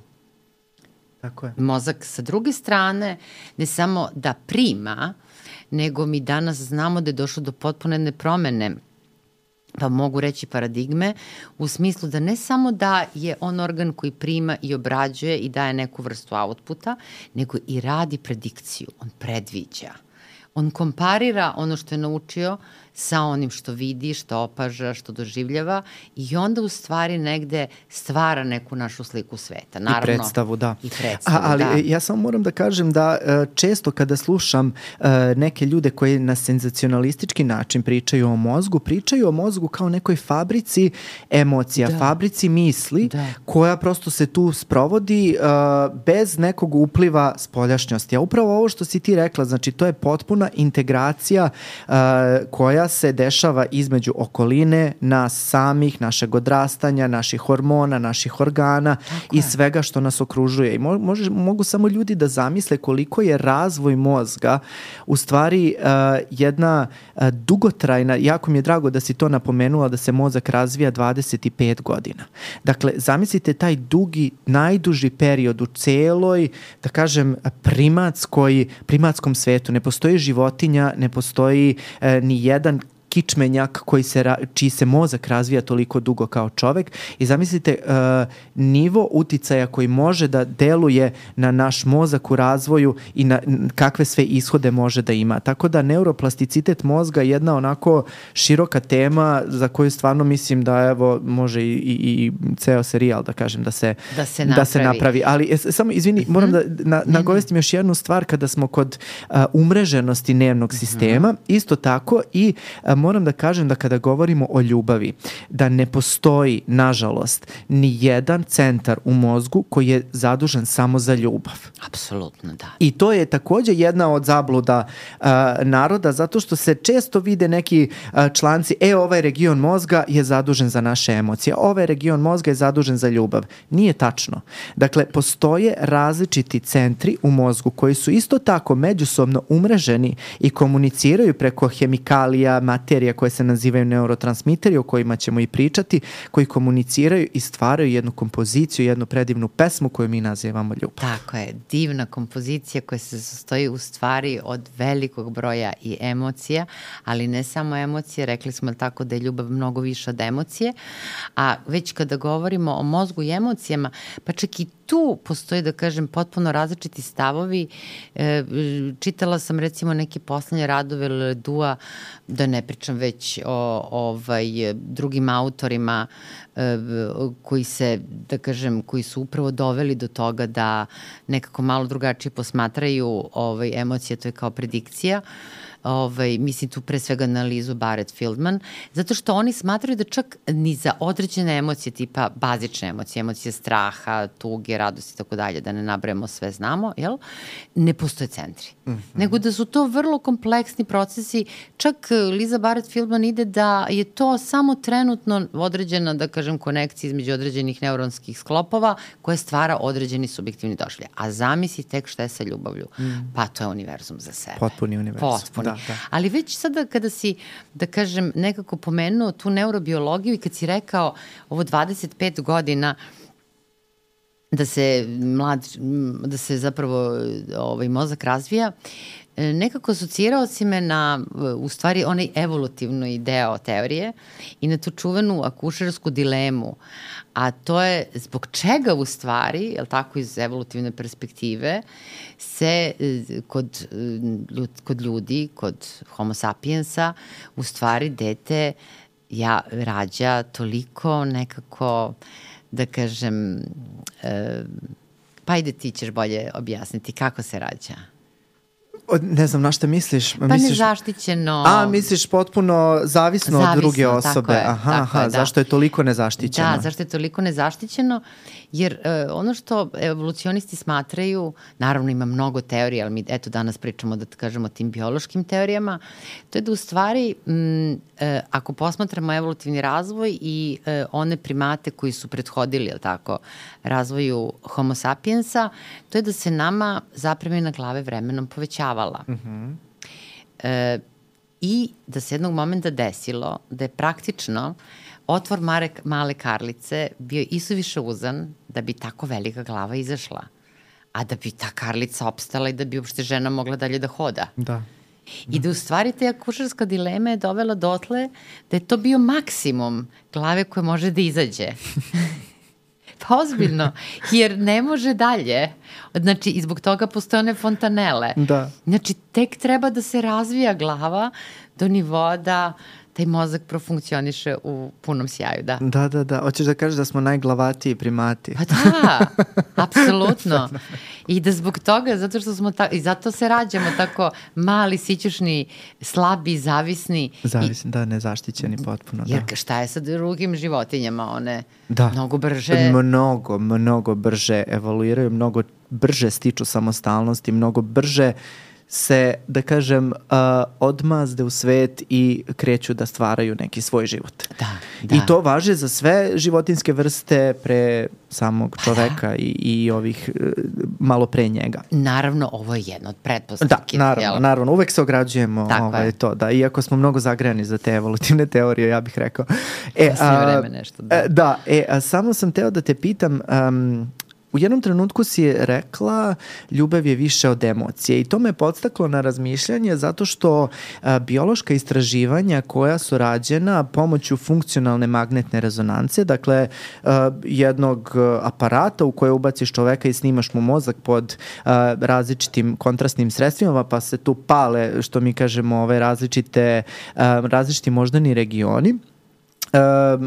Speaker 1: Tako je.
Speaker 2: Mozak sa druge strane ne samo da prima, nego mi danas znamo da je došlo do potpuno jedne promene, pa mogu reći paradigme, u smislu da ne samo da je on organ koji prima i obrađuje i daje neku vrstu outputa, nego i radi predikciju, on predviđa. On komparira ono što je naučio sa onim što vidi, što opaža, što doživljava i onda u stvari negde stvara neku našu sliku sveta. Naravno,
Speaker 1: I predstavu, da.
Speaker 2: I predstavu,
Speaker 1: A, ali
Speaker 2: da.
Speaker 1: ja samo moram da kažem da često kada slušam neke ljude koji na senzacionalistički način pričaju o mozgu, pričaju o mozgu kao nekoj fabrici emocija, da. fabrici misli, da. koja prosto se tu sprovodi uh, bez nekog upliva spoljašnjosti. A upravo ovo što si ti rekla, znači to je potpuna integracija uh, koja se dešava između okoline, nas samih, našeg odrastanja, naših hormona, naših organa Tako i je. svega što nas okružuje. I mo- može, mogu samo ljudi da zamisle koliko je razvoj mozga u stvari uh, jedna uh, dugotrajna, jako mi je drago da si to napomenula, da se mozak razvija dvadeset pet godina. Dakle, zamislite taj dugi, najduži period u celoj, da kažem, primatskoj, primatskom svetu. Ne postoji životinja, ne postoji e, ni jedan kičmenjak koji se, čiji se mozak razvija toliko dugo kao čovek i zamislite uh, nivo uticaja koji može da deluje na naš mozak u razvoju i na kakve sve ishode može da ima. Tako da neuroplasticitet mozga je jedna onako široka tema za koju stvarno mislim da evo može i, i, i ceo serijal da kažem da se,
Speaker 2: da se
Speaker 1: napravi. Da se napravi. Ali es, samo izvini, mm-hmm. moram da na, nagovestim još jednu stvar kada smo kod uh, umreženosti nervnog sistema. Mm-hmm. Isto tako i uh, moram da kažem da kada govorimo o ljubavi, da ne postoji, nažalost, ni jedan centar u mozgu koji je zadužen samo za ljubav.
Speaker 2: Apsolutno, da.
Speaker 1: I to je takođe jedna od zabluda uh, naroda, zato što se često vide neki uh, članci, e, ovaj region mozga je zadužen za naše emocije, ovaj region mozga je zadužen za ljubav. Nije tačno. Dakle, postoje različiti centri u mozgu koji su isto tako međusobno umreženi i komuniciraju preko hemikalija, materija koje se nazivaju neurotransmiteri, o kojima ćemo i pričati, koji komuniciraju i stvaraju jednu kompoziciju, jednu predivnu pesmu koju mi nazivamo ljubav.
Speaker 2: Tako je, divna kompozicija koja se sastoji u stvari od velikog broja i emocija, ali ne samo emocije, rekli smo tako da je ljubav mnogo više od emocije, a već kada govorimo o mozgu i emocijama, pa čak i tu postoji, da kažem, potpuno različiti stavovi. E, čitala sam recimo neke poslednje radove Ledua, da ne pričam već o ovaj, drugim autorima e, koji se, da kažem, koji su upravo doveli do toga da nekako malo drugačije posmatraju ovaj, emocije, to je kao predikcija. Ovaj, mislim tu pre svega na Lizu Barrett-Fieldman, zato što oni smatraju da čak ni za određene emocije, tipa bazične emocije, emocije straha, tuge, radosti i tako dalje, da ne nabrajamo sve znamo, jel? Ne postoje centri. Mm-hmm. Nego da su to vrlo kompleksni procesi, čak Liza Barrett-Fieldman ide da je to samo trenutno određena, da kažem, konekcija između određenih neuronskih sklopova koje stvara određeni subjektivni doživljaj. A zamisli tek šta je sa ljubavlju. Mm. Pa to je univerzum za sebe.
Speaker 1: Potpuni univerzum.
Speaker 2: Potpuni. Da, da. Ali već sada kada si, da kažem, nekako pomenuo tu neurobiologiju i kad si rekao ovo dvadeset pet godina da se mlad, da se zapravo ovaj mozak razvija, nekako asocirao si me na, u stvari, onaj evolutivni deo teorije i na tu čuvenu akušersku dilemu, a to je zbog čega u stvari, jel tako, iz evolutivne perspektive, se kod, kod ljudi, kod homo sapiensa, u stvari dete ja, rađa toliko nekako, da kažem, e, pa ajde ti ćeš bolje objasniti kako se rađa.
Speaker 1: Ne znam na šta misliš.
Speaker 2: Pa
Speaker 1: misliš,
Speaker 2: nezaštićeno.
Speaker 1: A, misliš potpuno zavisno, zavisno od druge osobe.
Speaker 2: Je,
Speaker 1: aha, aha, je, da. Zašto je toliko nezaštićeno?
Speaker 2: Da, zašto je toliko nezaštićeno? Jer uh, ono što evolucionisti smatraju, naravno ima mnogo teorija, ali mi eto danas pričamo da kažemo o tim biološkim teorijama, to je da u stvari m, uh, ako posmatramo evolutivni razvoj i uh, one primate koji su prethodili, jel tako, razvoju homo sapiensa, to je da se nama zapremina glave vremenom povećavala. Mm-hmm. E, I da se jednog momenta desilo da je praktično otvor mare, male karlice bio isuviše uzan da bi tako velika glava izašla. A da bi ta karlica opstala i da bi uopšte žena mogla dalje da hoda.
Speaker 1: Da.
Speaker 2: I da u stvari te akušerska dilema je dovela dotle da je to bio maksimum glave koje može da izađe. Pa ozbiljno, jer ne može dalje. Znači, i zbog toga postoje one fontanele.
Speaker 1: Da.
Speaker 2: Znači, tek treba da se razvija glava do nivoa da taj mozak profunkcioniše u punom sjaju, da.
Speaker 1: Da, da, da. Hoćeš da kažeš da smo najglavatiji primati.
Speaker 2: Pa da, apsolutno. I da zbog toga, zato što smo ta, i zato se rađamo tako mali, sićušni, slabi, zavisni.
Speaker 1: Zavisni, i, da, nezaštićeni potpuno.
Speaker 2: Jer
Speaker 1: da.
Speaker 2: šta je sa drugim životinjama? One
Speaker 1: da.
Speaker 2: mnogo brže...
Speaker 1: Mnogo, mnogo brže evoluiraju, mnogo brže stiču samostalnosti, mnogo brže se, da kažem, uh, odmazde u svet i kreću da stvaraju neki svoj život.
Speaker 2: Da, da.
Speaker 1: I to važi za sve životinske vrste pre samog čoveka da. i, i ovih uh, malo pre njega.
Speaker 2: Naravno, ovo je jedno od pretpostavki.
Speaker 1: Da, naravno,
Speaker 2: jel?
Speaker 1: naravno. Uvek se ograđujemo ovaj, to. Da, iako smo mnogo zagrejani za te evolutivne teorije, ja bih rekao.
Speaker 2: E, a, vreme nešto. Da,
Speaker 1: da e, a samo sam teo da te pitam... Um, U jednom trenutku si je rekla ljubav je više od emocije i to me podstaklo na razmišljanje zato što a, biološka istraživanja koja su rađena pomoću funkcionalne magnetne rezonance, dakle a, jednog aparata u koje ubaciš čoveka i snimaš mu mozak pod a, različitim kontrastnim sredstvima pa se tu pale, što mi kažemo, ove različite, a, različiti moždani regioni. A,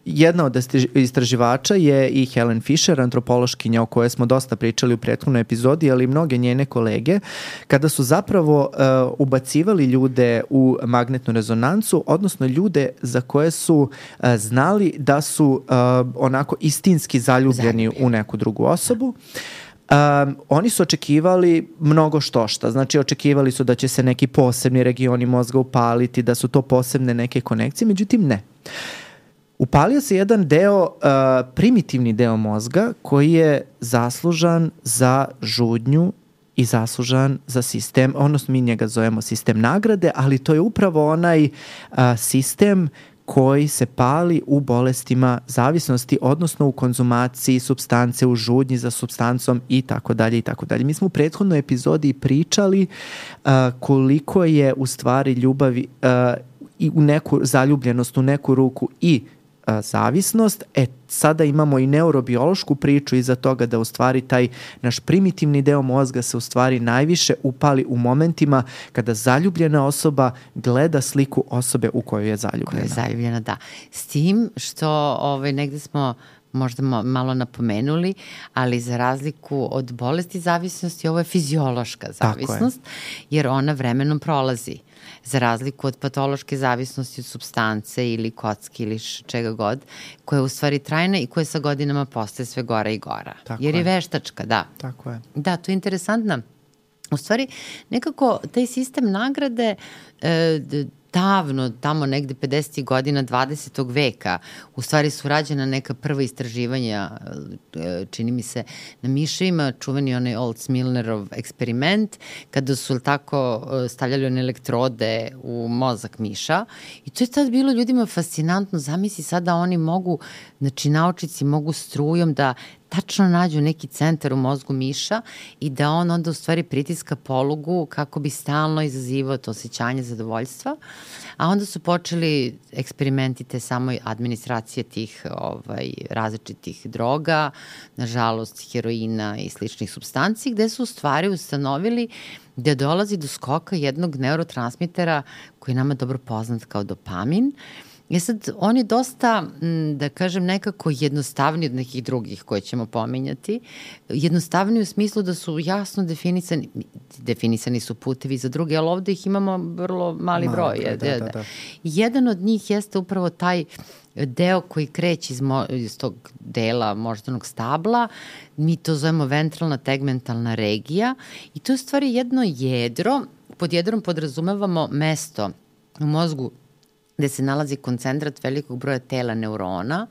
Speaker 1: Jedna od istraživača je i Helen Fisher, antropološkinja o kojoj smo dosta pričali u prethodnoj epizodi, ali i mnoge njene kolege, kada su zapravo uh, ubacivali ljude u magnetnu rezonancu, odnosno ljude za koje su uh, znali da su uh, onako istinski zaljubljeni Zaljubljeni. u neku drugu osobu. Um, oni su očekivali mnogo štošta, znači očekivali su da će se neki posebni regioni mozga upaliti, da su to posebne neke konekcije, međutim ne. Upalio se jedan deo, uh, primitivni deo mozga koji je zaslužan za žudnju i zaslužan za sistem, odnosno mi njega zovemo sistem nagrade, ali to je upravo onaj uh, sistem koji se pali u bolestima zavisnosti, odnosno u konzumaciji supstance, u žudnji za supstancom i tako dalje i tako dalje. Mi smo u prethodnoj epizodi pričali uh, koliko je u stvari ljubavi uh, i u neku zaljubljenost, u neku ruku i a, zavisnost. E, sada imamo i neurobiološku priču iza toga da u stvari taj naš primitivni deo mozga se u stvari najviše upali u momentima kada zaljubljena osoba gleda sliku osobe u kojoj je zaljubljena.
Speaker 2: Koja je zaljubljena, da. S tim što ovaj, negde smo možda malo napomenuli, ali za razliku od bolesti zavisnosti, ovo je fiziološka zavisnost, je. Jer ona vremenom prolazi. Za razliku od patološke zavisnosti od supstance ili kocki ili čega god, koja je u stvari trajna i koja sa godinama postaje sve gora i gora. Tako jer je. je veštačka, da.
Speaker 1: Tako je.
Speaker 2: Da, to je interesantno. U stvari, nekako taj sistem nagrade e, davno, tamo negde pedesetih godina dvadesetog veka, u stvari su rađena neka prva istraživanja, čini mi se, na miševima, čuveni onaj Olds-Milnerov eksperiment, kada su tako stavljali one elektrode u mozak miša i to je tad bilo ljudima fascinantno. Zamisli sada oni mogu, znači naučnici mogu strujom da tačno nađu neki centar u mozgu miša i da on onda u stvari pritiska polugu kako bi stalno izazivao to osjećanje zadovoljstva, a onda su počeli eksperimenti te samoj administracije tih ovaj, različitih droga, nažalost heroina i sličnih supstanci, gde su u stvari ustanovili da dolazi do skoka jednog neurotransmitera koji je nama dobro poznat kao dopamin. I sad, on je dosta, da kažem, nekako jednostavniji od nekih drugih koje ćemo pominjati. Jednostavniji u smislu da su jasno definisani, definisani su putevi za druge, ali ovde ih imamo vrlo mali broj. Da, da, da, da. Jedan od njih jeste upravo taj deo koji kreće iz, mo, iz tog dela moždanog stabla, mi to zovemo ventralna tegmentalna regija i to je u stvari jedno jedro, pod jedrom podrazumevamo mesto u mozgu gde se nalazi koncentrat velikog broja tela neurona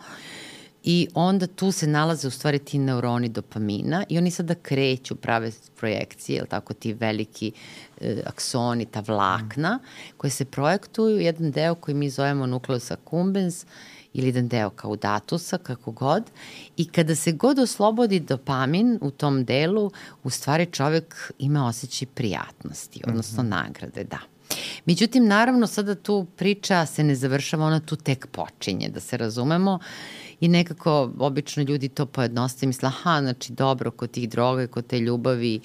Speaker 2: i onda tu se nalaze u stvari ti neuroni dopamina i oni sada kreću, prave projekcije, ili tako, ti veliki e, aksoni, ta vlakna, koje se projektuju, jedan deo koji mi zovemo nucleus accumbens ili jedan deo caudatusa, kako god, i kada se god oslobodi dopamin u tom delu, u stvari čovek ima osjećaj prijatnosti, odnosno mm-hmm. nagrade, da. Međutim, naravno, sada tu priča se ne završava, ona tu tek počinje, da se razumemo, i nekako obično ljudi to pojednostave i misle, aha, znači dobro, kod tih droga, kod te ljubavi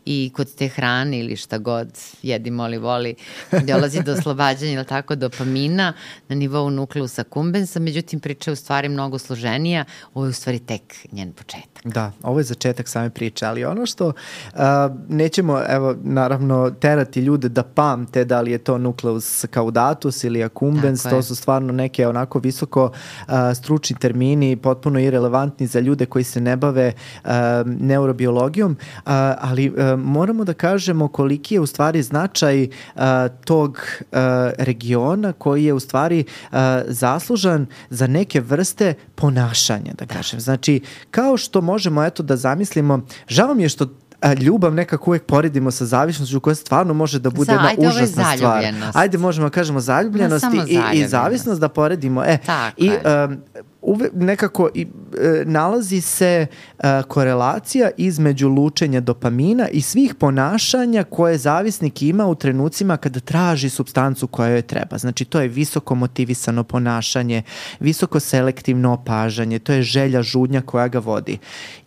Speaker 2: i kod te hrane ili šta god jedi, moli, voli, dolazi do oslobađanja, ili tako, dopamina na nivou nukleusa accumbens, međutim priča je u stvari mnogo složenija, ovo je u stvari tek njen početak.
Speaker 1: Da, ovo je začetak same priče, ali ono što uh, nećemo, evo, naravno, terati ljude da pamte da li je to nucleus caudatus ili accumbens, to su stvarno neke onako visoko uh, stručni termini, potpuno irelevantni za ljude koji se ne bave uh, neurobiologijom, uh, ali uh, moramo da kažemo koliki je u stvari značaj uh, tog uh, regiona koji je u stvari uh, zaslužan za neke vrste ponašanja, da kažem. Znači, kao što možemo eto da zamislimo, žao mi je što a, ljubav nekako uvek poredimo sa zavisnošću koja stvarno može da bude
Speaker 2: Za,
Speaker 1: jedna užasna stvar. Ajde, možemo da kažemo zaljubljenost i, i zavisnost da poredimo. E,
Speaker 2: Tako
Speaker 1: i
Speaker 2: je.
Speaker 1: Um, uve, nekako i, e, nalazi se e, korelacija između lučenja dopamina i svih ponašanja koje zavisnik ima u trenucima kada traži supstancu koja joj treba. Znači, to je visoko motivisano ponašanje, visoko selektivno opažanje, to je želja, žudnja koja ga vodi.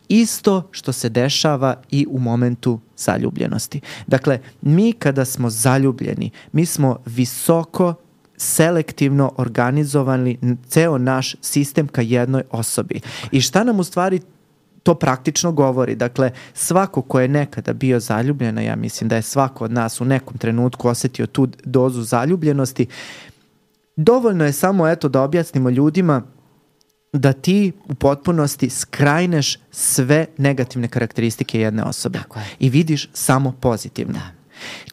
Speaker 1: Isto što se dešava i u momentu zaljubljenosti. Dakle, mi kada smo zaljubljeni, mi smo visoko selektivno organizovali ceo naš sistem ka jednoj osobi. I šta nam u stvari to praktično govori? Dakle, svako ko je nekada bio zaljubljen, ja mislim da je svako od nas u nekom trenutku osetio tu dozu zaljubljenosti, dovoljno je samo eto da objasnimo ljudima da ti u potpunosti skrajneš sve negativne karakteristike jedne osobe i vidiš samo pozitivno. Da.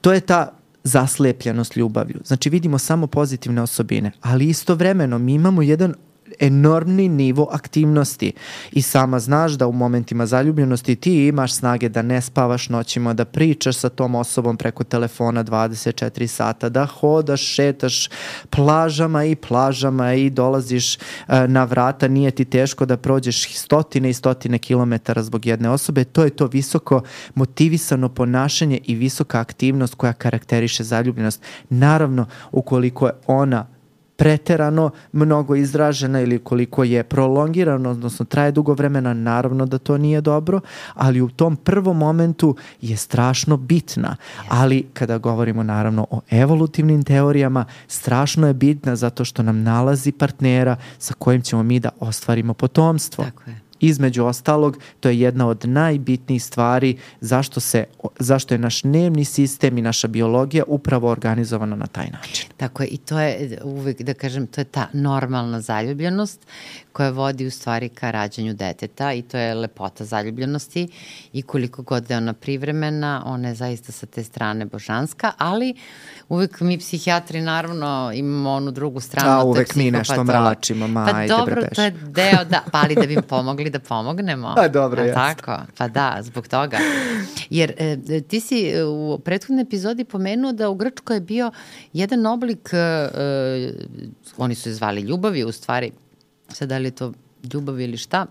Speaker 1: To je ta zaslepljenost ljubavlju. Znači vidimo samo pozitivne osobine, ali istovremeno mi imamo jedan enormni nivo aktivnosti i sama znaš da u momentima zaljubljenosti ti imaš snage da ne spavaš noćima, da pričaš sa tom osobom preko telefona dvadeset četiri sata, da hodaš, šetaš plažama i plažama i dolaziš uh, na vrata, nije ti teško da prođeš stotine i stotine kilometara zbog jedne osobe. To je to visoko motivisano ponašanje i visoka aktivnost koja karakteriše zaljubljenost. Naravno, ukoliko je ona preterano mnogo izražena ili koliko je prolongirano, odnosno traje dugo vremena, naravno da to nije dobro, ali u tom prvom momentu je strašno bitna. Ali kada govorimo naravno o evolutivnim teorijama, strašno je bitna zato što nam nalazi partnera sa kojim ćemo mi da ostvarimo potomstvo.
Speaker 2: Tako je.
Speaker 1: Između ostalog, to je jedna od najbitnijih stvari zašto, se, zašto je naš nervni sistem i naša biologija upravo organizovana na taj način.
Speaker 2: Tako je, i to je uvek, da kažem, to je ta normalna zaljubljenost koja vodi u stvari ka rađanju deteta i to je lepota zaljubljenosti i koliko god je ona privremena, ona je zaista sa te strane božanska, ali uvek mi psihijatri naravno imamo onu drugu stranu.
Speaker 1: A uvek mi nešto mračimo, ma,
Speaker 2: pa
Speaker 1: ajde
Speaker 2: dobro,
Speaker 1: bre
Speaker 2: to je deo, da, pa ali da bi im pomogli da pomognemo.
Speaker 1: A dobro,
Speaker 2: a,
Speaker 1: jasno.
Speaker 2: Tako, pa da, zbog toga. Jer e, ti si u prethodnoj epizodi pomenuo da u Grčkoj je bio jedan oblik, e, oni su je zvali ljubavi, u stvari, sad da li je to ljubav ili šta,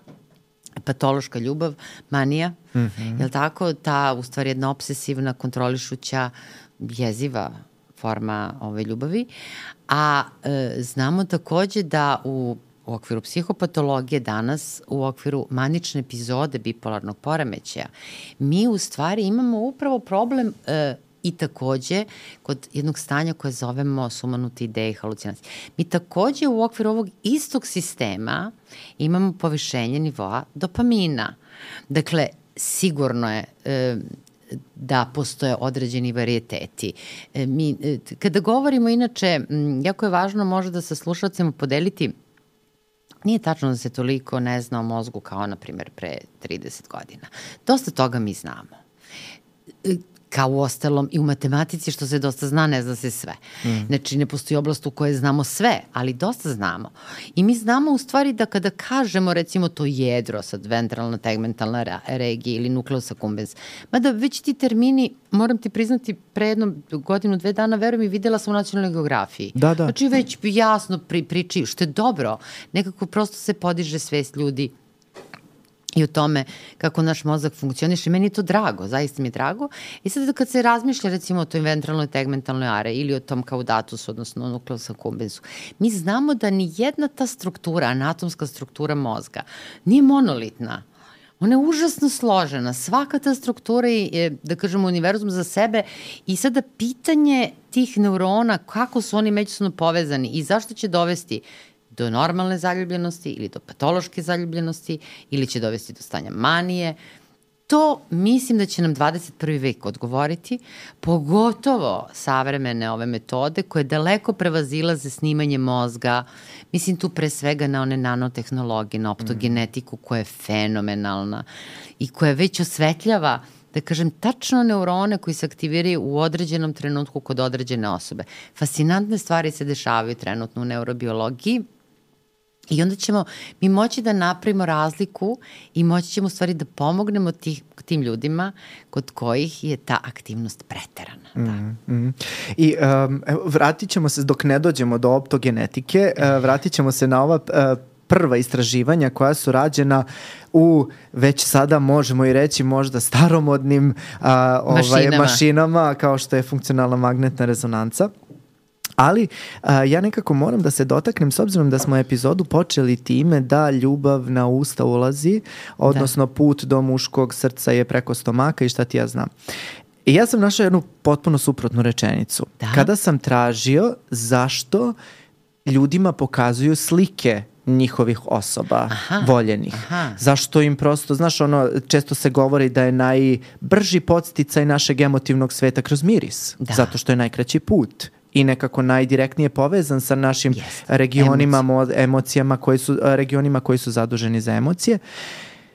Speaker 2: patološka ljubav, manija, mm-hmm. je li tako? Ta, u stvari, jedna obsesivna, kontrolišuća, jeziva forma ove ljubavi. A e, znamo takođe da u u okviru psihopatologije danas, u okviru manične epizode bipolarnog poremećaja, mi u stvari imamo upravo problem e, i takođe kod jednog stanja koje zovemo sumanute ideje i halucinacije. Mi takođe u okviru ovog istog sistema imamo povišenje nivoa dopamina. Dakle, sigurno je e, da postoje određeni varijeteti. E, mi, e, kada govorimo, inače, m, jako je važno možda da sa slušalcima podeliti. Nije tačno da se toliko ne zna o mozgu kao, na primjer, pre trideset godina. Dosta toga mi znamo. Kao u ostalom i u matematici, što se dosta zna, ne zna se sve. Mm. Znači, ne postoji oblast u kojoj znamo sve, ali dosta znamo. I mi znamo u stvari da kada kažemo, recimo, to jedro, sad ventralna tegmentalna regija ili nucleus accumbens, mada već ti termini, moram ti priznati, pre jednom godinu, dve dana, verujem i videla sam u nacionalnoj geografiji.
Speaker 1: Da, da.
Speaker 2: Znači, već jasno pri, pričaju, što je dobro. Nekako prosto se podiže svest ljudi i o tome kako naš mozak funkcioniše. Meni je to drago, zaista mi je drago. I sad kad se razmišlja recimo o toj ventralnoj tegmentalnoj are ili o tom caudatusu, odnosno nucleus accumbens, mi znamo da ni jedna ta struktura, anatomska struktura mozga, nije monolitna. Ona je užasno složena. Svaka ta struktura je, da kažemo, univerzum za sebe i sada pitanje tih neurona, kako su oni međusobno povezani i zašto će dovesti do normalne zaljubljenosti ili do patološke zaljubljenosti ili će dovesti do stanja manije. To mislim da će nam dvadeset prvi vek odgovoriti, pogotovo savremene ove metode koje daleko prevazilaze snimanje mozga. Mislim tu pre svega na one nanotehnologije, na optogenetiku koja je fenomenalna i koja već osvetljava, da kažem, tačno neurone koji se aktiviraju u određenom trenutku kod određene osobe. Fascinantne stvari se dešavaju trenutno u neurobiologiji. I onda ćemo mi moći da napravimo razliku i moći ćemo u stvari da pomognemo tih, tim ljudima kod kojih je ta aktivnost preterana. Da.
Speaker 1: Mm, mm. I um, vratit ćemo se, dok ne dođemo do optogenetike, uh, vratit ćemo se na ova uh, prva istraživanja koja su rađena u, već sada možemo i reći, možda staromodnim uh, ovaj,
Speaker 2: mašinama.
Speaker 1: mašinama, kao što je funkcionalna magnetna rezonanca. Ali a, ja nekako moram da se dotaknem, s obzirom da smo epizodu počeli time da ljubav na usta ulazi, odnosno da. Put do muškog srca je preko stomaka i šta ti ja znam. I ja sam našao jednu potpuno suprotnu rečenicu. Da? Kada sam tražio zašto ljudima pokazuju slike njihovih osoba, aha, voljenih. Aha. Zašto im prosto, znaš, ono, često se govori da je najbrži podsticaj našeg emotivnog sveta kroz miris. Da. Zato što je najkraći put i nekako najdirektnije povezan sa našim yes. regionima, Emoci. emocijama koji su, regionima koji su zaduženi za emocije.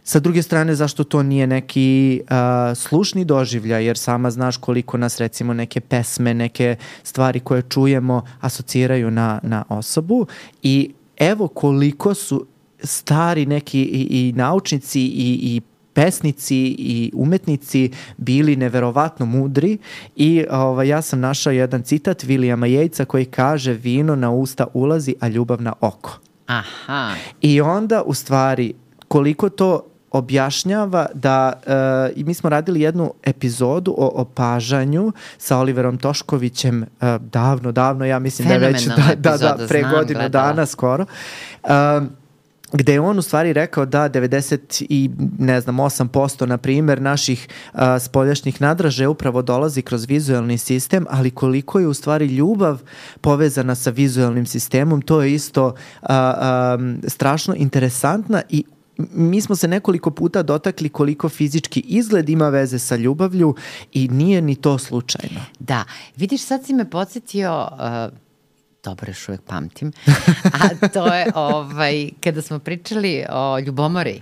Speaker 1: Sa druge strane, zašto to nije neki uh, slušni doživljaj, jer sama znaš koliko nas recimo neke pesme, neke stvari koje čujemo asociraju na, na osobu i evo koliko su stari neki i, i naučnici i, i pesnici i umetnici bili neverovatno mudri i ovaj, ja sam našao jedan citat Williama Yatesa koji kaže vino na usta ulazi, a ljubav na oko.
Speaker 2: Aha.
Speaker 1: I onda u stvari koliko to objašnjava da, uh, i mi smo radili jednu epizodu o opažanju sa Oliverom Toškovićem uh, davno, davno, ja mislim da je već da, da, da, pre
Speaker 2: znam,
Speaker 1: godinu
Speaker 2: gledala.
Speaker 1: dana skoro. Uh, gde je on u stvari rekao da devedeset i ne znam osam posto na primjer naših uh, spoljašnjih nadražaja upravo dolazi kroz vizuelni sistem, ali koliko je u stvari ljubav povezana sa vizuelnim sistemom, to je isto uh, um, strašno interesantna i mi smo se nekoliko puta dotakli koliko fizički izgled ima veze sa ljubavlju i nije ni to slučajno.
Speaker 2: Da, vidiš, sad si me podsjetio, uh, dobro, još uvijek pamtim, a to je ovaj, kada smo pričali o ljubomori.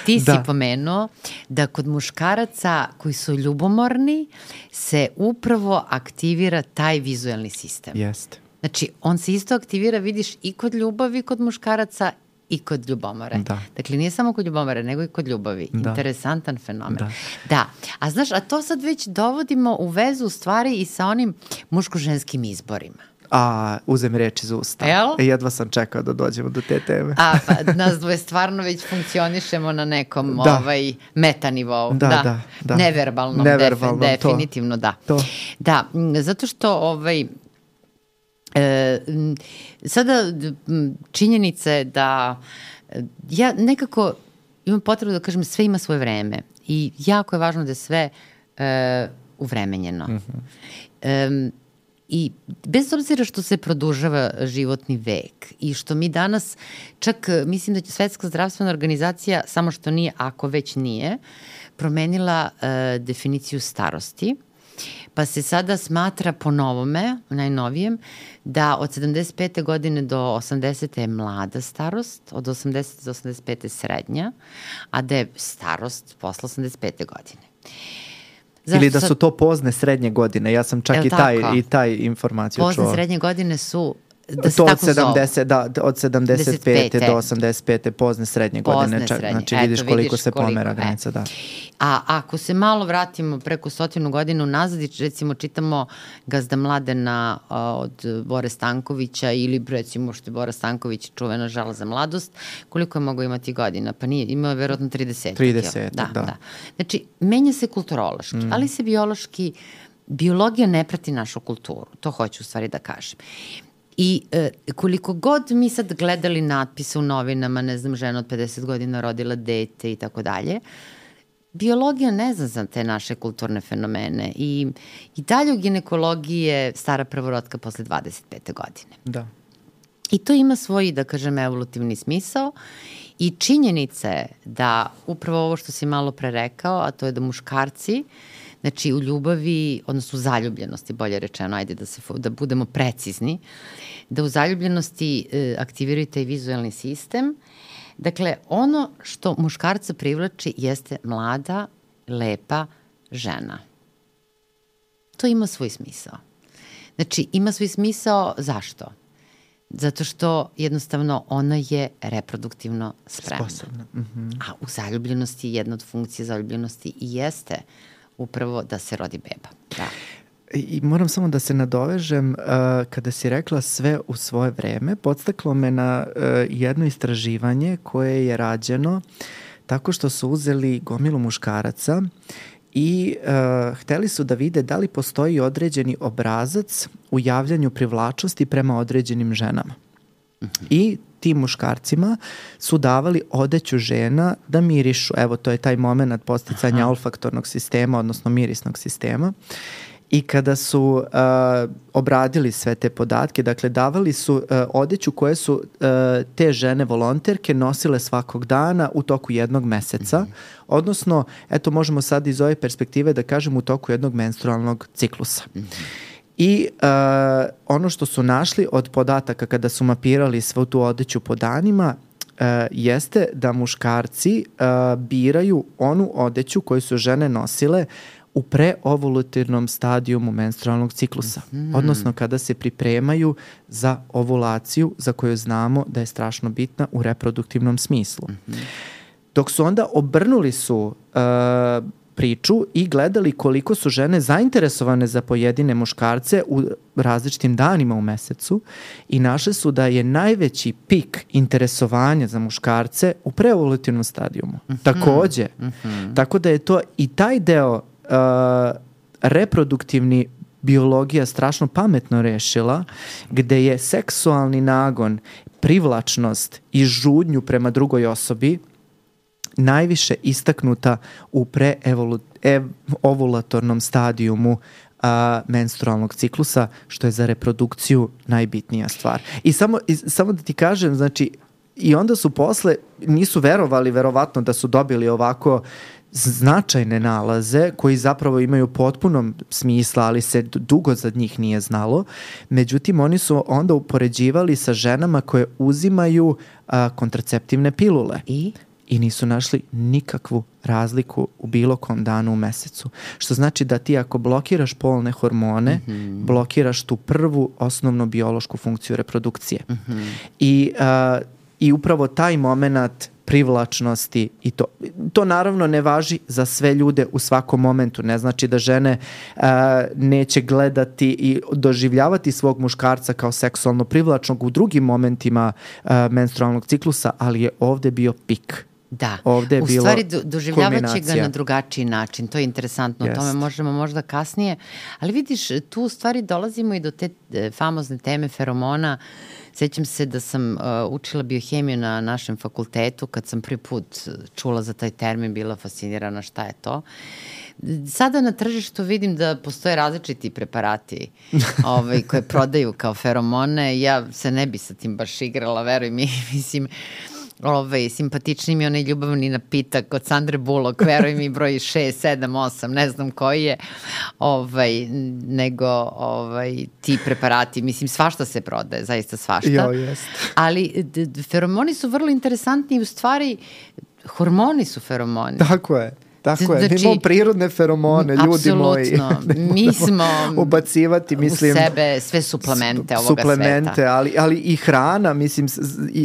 Speaker 2: Ti si da. pomenuo da kod muškaraca koji su ljubomorni se upravo aktivira taj vizuelni sistem.
Speaker 1: Jeste.
Speaker 2: Znači, on se isto aktivira, vidiš, i kod ljubavi kod muškaraca i kod ljubomore. Da. Dakle, nije samo kod ljubomore, nego i kod ljubavi. Da. Interesantan fenomen. Da. da. A znaš, a to sad već dovodimo u vezu u stvari i sa onim muško-ženskim izborima.
Speaker 1: A, uzem reč iz usta.
Speaker 2: Jel?
Speaker 1: E, jedva sam čekao da dođemo do te teme.
Speaker 2: A, pa nas dvoje stvarno već funkcionišemo na nekom da. ovaj, metanivou.
Speaker 1: Da, da, da. da.
Speaker 2: Neverbalnom,
Speaker 1: Neverbalnom
Speaker 2: defi, definitivno,
Speaker 1: to.
Speaker 2: da.
Speaker 1: To.
Speaker 2: Da, zato što ovaj, e, sada činjenice da ja nekako imam potrebu da kažem sve ima svoje vreme i jako je važno da je sve e, uvremenjeno. Mm-hmm. E, I bez obzira što se produžava životni vek i što mi danas, čak mislim da će Svetska zdravstvena organizacija, samo što nije, ako već nije, promenila e, definiciju starosti, pa se sada smatra po novome, najnovijem, da od sedamdeset pete godine do osamdesete je mlada starost, od osamdesete do osamdeset pete srednja, a da je starost posle osamdeset pete godine.
Speaker 1: Zašto ili da su to pozne srednje godine. Ja sam čak i taj, i taj informaciju
Speaker 2: pozne
Speaker 1: čuo.
Speaker 2: Pozne srednje godine su da se
Speaker 1: to
Speaker 2: tako
Speaker 1: od sedamdeset, da, od sedamdeset pete do osamdeset pete pozne srednje godine.
Speaker 2: Pozne srednje.
Speaker 1: Znači vidiš
Speaker 2: Eto,
Speaker 1: koliko
Speaker 2: vidiš
Speaker 1: se
Speaker 2: koliko,
Speaker 1: pomera
Speaker 2: e.
Speaker 1: granica, da.
Speaker 2: A ako se malo vratimo preko stotinu godina unazad i recimo čitamo Gazda Mladena a, od Bore Stankovića ili recimo što je Bora Stanković čuvena Žala za mladost, koliko je mogao imati godina? Pa nije, imao je verovatno trideset.
Speaker 1: trideset,
Speaker 2: da,
Speaker 1: da.
Speaker 2: da. Znači, menja se kulturološki, mm. ali se biološki, biologija ne prati našu kulturu, to hoću u stvari da kažem. I e, koliko god mi sad gledali natpise u novinama, ne znam, žena od pedeset godina rodila dete i tako dalje, biologija ne zna za te naše kulturne fenomene i, i dalje u ginekologiji je stara prvorotka posle dvadeset pete godine.
Speaker 1: Da.
Speaker 2: I to ima svoj, da kažem, evolutivni smisao i činjenica je da upravo ovo što si malo pre rekao, a to je da muškarci, znači u ljubavi, odnosno u zaljubljenosti, bolje rečeno, ajde da, se, da budemo precizni, da u zaljubljenosti e, aktiviraju taj vizualni sistem. Dakle, ono što muškarca privlači jeste mlada, lepa žena. To ima svoj smisao. Znači, ima svoj smisao zašto? Zato što jednostavno ona je reproduktivno spremna.
Speaker 1: Sposobna. Mm-hmm.
Speaker 2: A u zaljubljenosti, jedna od funkcija zaljubljenosti i jeste upravo da se rodi beba. Da.
Speaker 1: I moram samo da se nadovežem, uh, kada si rekla sve u svoje vreme, podstaklo me na uh, jedno istraživanje koje je rađeno tako što su uzeli gomilu muškaraca i uh, hteli su da vide da li postoji određeni obrazac u javljanju privlačnosti prema određenim ženama. Mm-hmm. I tim muškarcima su davali odeću žena da mirišu. Evo, to je taj moment podsticanja Aha. olfaktornog sistema, odnosno mirisnog sistema. I kada su uh, obradili sve te podatke, dakle davali su uh, odeću koje su uh, te žene volonterke nosile svakog dana u toku jednog meseca, mm-hmm. odnosno, eto možemo sad iz ove perspektive da kažem u toku jednog menstrualnog ciklusa. Mm-hmm. I uh, ono što su našli od podataka kada su mapirali svu tu odeću po danima uh, jeste da muškarci uh, biraju onu odeću koju su žene nosile u preovulativnom stadijumu menstrualnog ciklusa, mm. odnosno kada se pripremaju za ovulaciju za koju znamo da je strašno bitna u reproduktivnom smislu. Mm-hmm. Dok su onda obrnuli su uh, priču i gledali koliko su žene zainteresovane za pojedine muškarce u različitim danima u mesecu i našli su da je najveći pik interesovanja za muškarce u preovulativnom stadijumu. Mm-hmm. Takođe, mm-hmm. tako da je to i taj deo Uh, reproduktivni biologija strašno pametno rešila, gde je seksualni nagon, privlačnost i žudnju prema drugoj osobi najviše istaknuta u preovulatornom stadijumu uh, menstrualnog ciklusa, što je za reprodukciju najbitnija stvar. I samo, i samo da ti kažem, znači, i onda su posle, nisu verovali verovatno da su dobili ovako značajne nalaze koji zapravo imaju potpuno smisla, ali se dugo za njih nije znalo. Međutim, oni su onda upoređivali sa ženama koje uzimaju a, kontraceptivne pilule.
Speaker 2: I?
Speaker 1: I nisu našli nikakvu razliku u bilo kom danu u mesecu. Što znači da ti ako blokiraš polne hormone, mm-hmm. blokiraš tu prvu osnovnu biološku funkciju reprodukcije. Mm-hmm. I, a, i upravo taj moment privlačnosti i to. To naravno ne važi za sve ljude u svakom momentu. Ne znači da žene uh, neće gledati i doživljavati svog muškarca kao seksualno privlačnog u drugim momentima uh, menstrualnog ciklusa, ali je ovde bio pik.
Speaker 2: Da,
Speaker 1: ovde je
Speaker 2: u
Speaker 1: bilo
Speaker 2: stvari do, doživljavaće ga na drugačiji način, to je interesantno,
Speaker 1: Jest.
Speaker 2: o tome možemo možda kasnije, ali vidiš, tu u stvari dolazimo i do te e, famozne teme feromona. Sećam se da sam uh, učila biohemiju na našem fakultetu, kad sam prvi put čula za taj termin, bila fascinirana šta je to. Sada na tržištu vidim da postoje različiti preparati ovaj, koje prodaju kao feromone. Ja se ne bi sa tim baš igrala, veruj mi, mislim, ovaj, simpatični mi onaj ljubavni napitak od Sandre Bullock, veruj mi, broj šest, sedam, osam, ne znam koji je, ovaj, nego ovaj, ti preparati, mislim, svašta se prodaje, zaista svašta.
Speaker 1: Jo, jest.
Speaker 2: Ali d- feromoni su vrlo interesantni i u stvari hormoni su feromoni.
Speaker 1: Tako je. Tako je, znači, imamo prirodne feromone, ljudi moji.
Speaker 2: Mi smo
Speaker 1: ubacivati, mislim,
Speaker 2: u sebe sve suplemente ovoga
Speaker 1: suplemente,
Speaker 2: sveta.
Speaker 1: Ali, ali i hrana, mislim,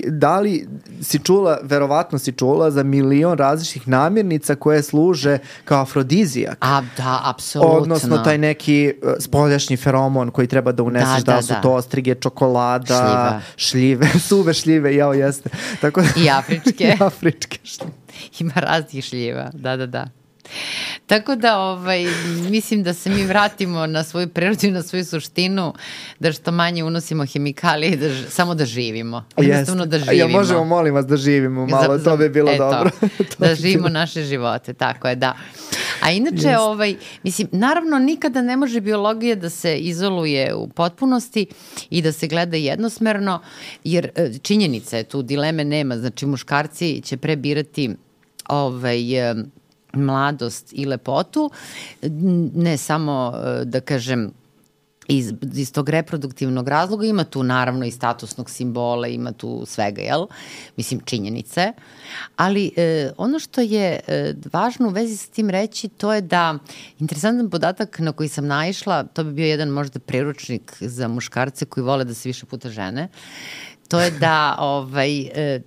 Speaker 1: da li si čula, verovatno si čula za milion različitih namirnica koje služe kao afrodizijak.
Speaker 2: A, da, apsolutno.
Speaker 1: Odnosno taj neki spoljašnji feromon koji treba da uneseš, da, da, da su to ostrige, čokolada,
Speaker 2: šljiva.
Speaker 1: šljive, suve šljive, jao jeste. Tako da,
Speaker 2: i afričke.
Speaker 1: I afričke šljive.
Speaker 2: Ima raznih šljiva, da, da, da. Tako da, ovaj, mislim da se mi vratimo na svoju prirodu i na svoju suštinu, da što manje unosimo hemikalije, da, samo da živimo. Jednostavno da živimo.
Speaker 1: Ja možemo, molim vas, da živimo malo, za, za, to bi bilo eto, dobro.
Speaker 2: Da živimo bilo. Naše živote, tako je, da. A inače, ovaj, mislim, naravno nikada ne može biologija da se izoluje u potpunosti i da se gleda jednosmerno, jer činjenica je, tu dileme nema, znači muškarci će prebirati ovaj, mladost i lepotu, ne samo, da kažem, iz, iz tog reproduktivnog razloga, ima tu naravno i statusnog simbola, ima tu svega, jel? Mislim, činjenice. Ali e, ono što je e, važno u vezi sa tim reći, to je da interesantan podatak na koji sam naišla, to bi bio jedan možda priručnik za muškarce koji vole da se više puta žene, to je da ovaj, e,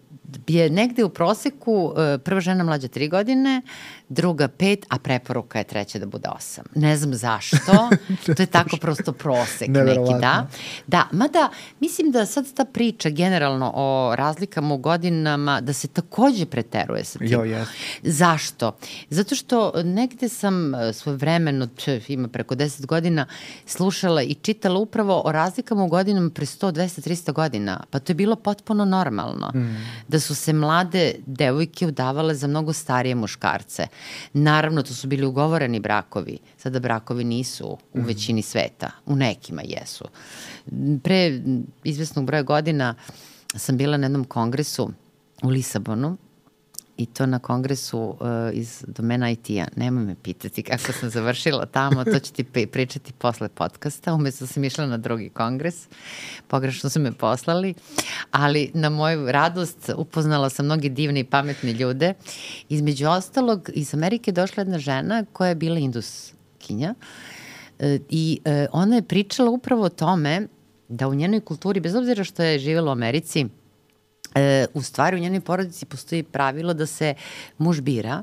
Speaker 2: je negde u proseku e, prva žena mlađa tri godine, druga pet, a preporuka je treća da bude osam. Ne znam zašto, to je tako prosto prosek neki, da. Da, mada mislim da sad ta priča generalno o razlikama u godinama, da se takođe preteruje sa tim.
Speaker 1: Jo, yes.
Speaker 2: Zašto? Zato što negde sam svoj vremen, od, ima preko deset godina, slušala i čitala upravo o razlikama u godinama pre sto, dvesta, trista godina. Pa to je bilo potpuno normalno. Mm. Da su se mlade devojke udavale za mnogo starije muškarce. Naravno, to su bili ugovoreni brakovi. Sada brakovi nisu u većini sveta. U nekima jesu. Pre izvesnog broja godina sam bila na jednom kongresu u Lisabonu i to na kongresu uh, iz domena I T-a. Nemoj me pitati kako sam završila tamo, to ću ti pričati posle podcasta. Umesto sam išla na drugi kongres, pogrešno su me poslali, ali na moju radost upoznala sam mnogi divne i pametne ljude. Između ostalog, iz Amerike došla jedna žena koja je bila induskinja uh, i uh, ona je pričala upravo o tome da u njenoj kulturi, bez obzira što je živjela u Americi, E, u stvari u njenoj porodici postoji pravilo da se muž bira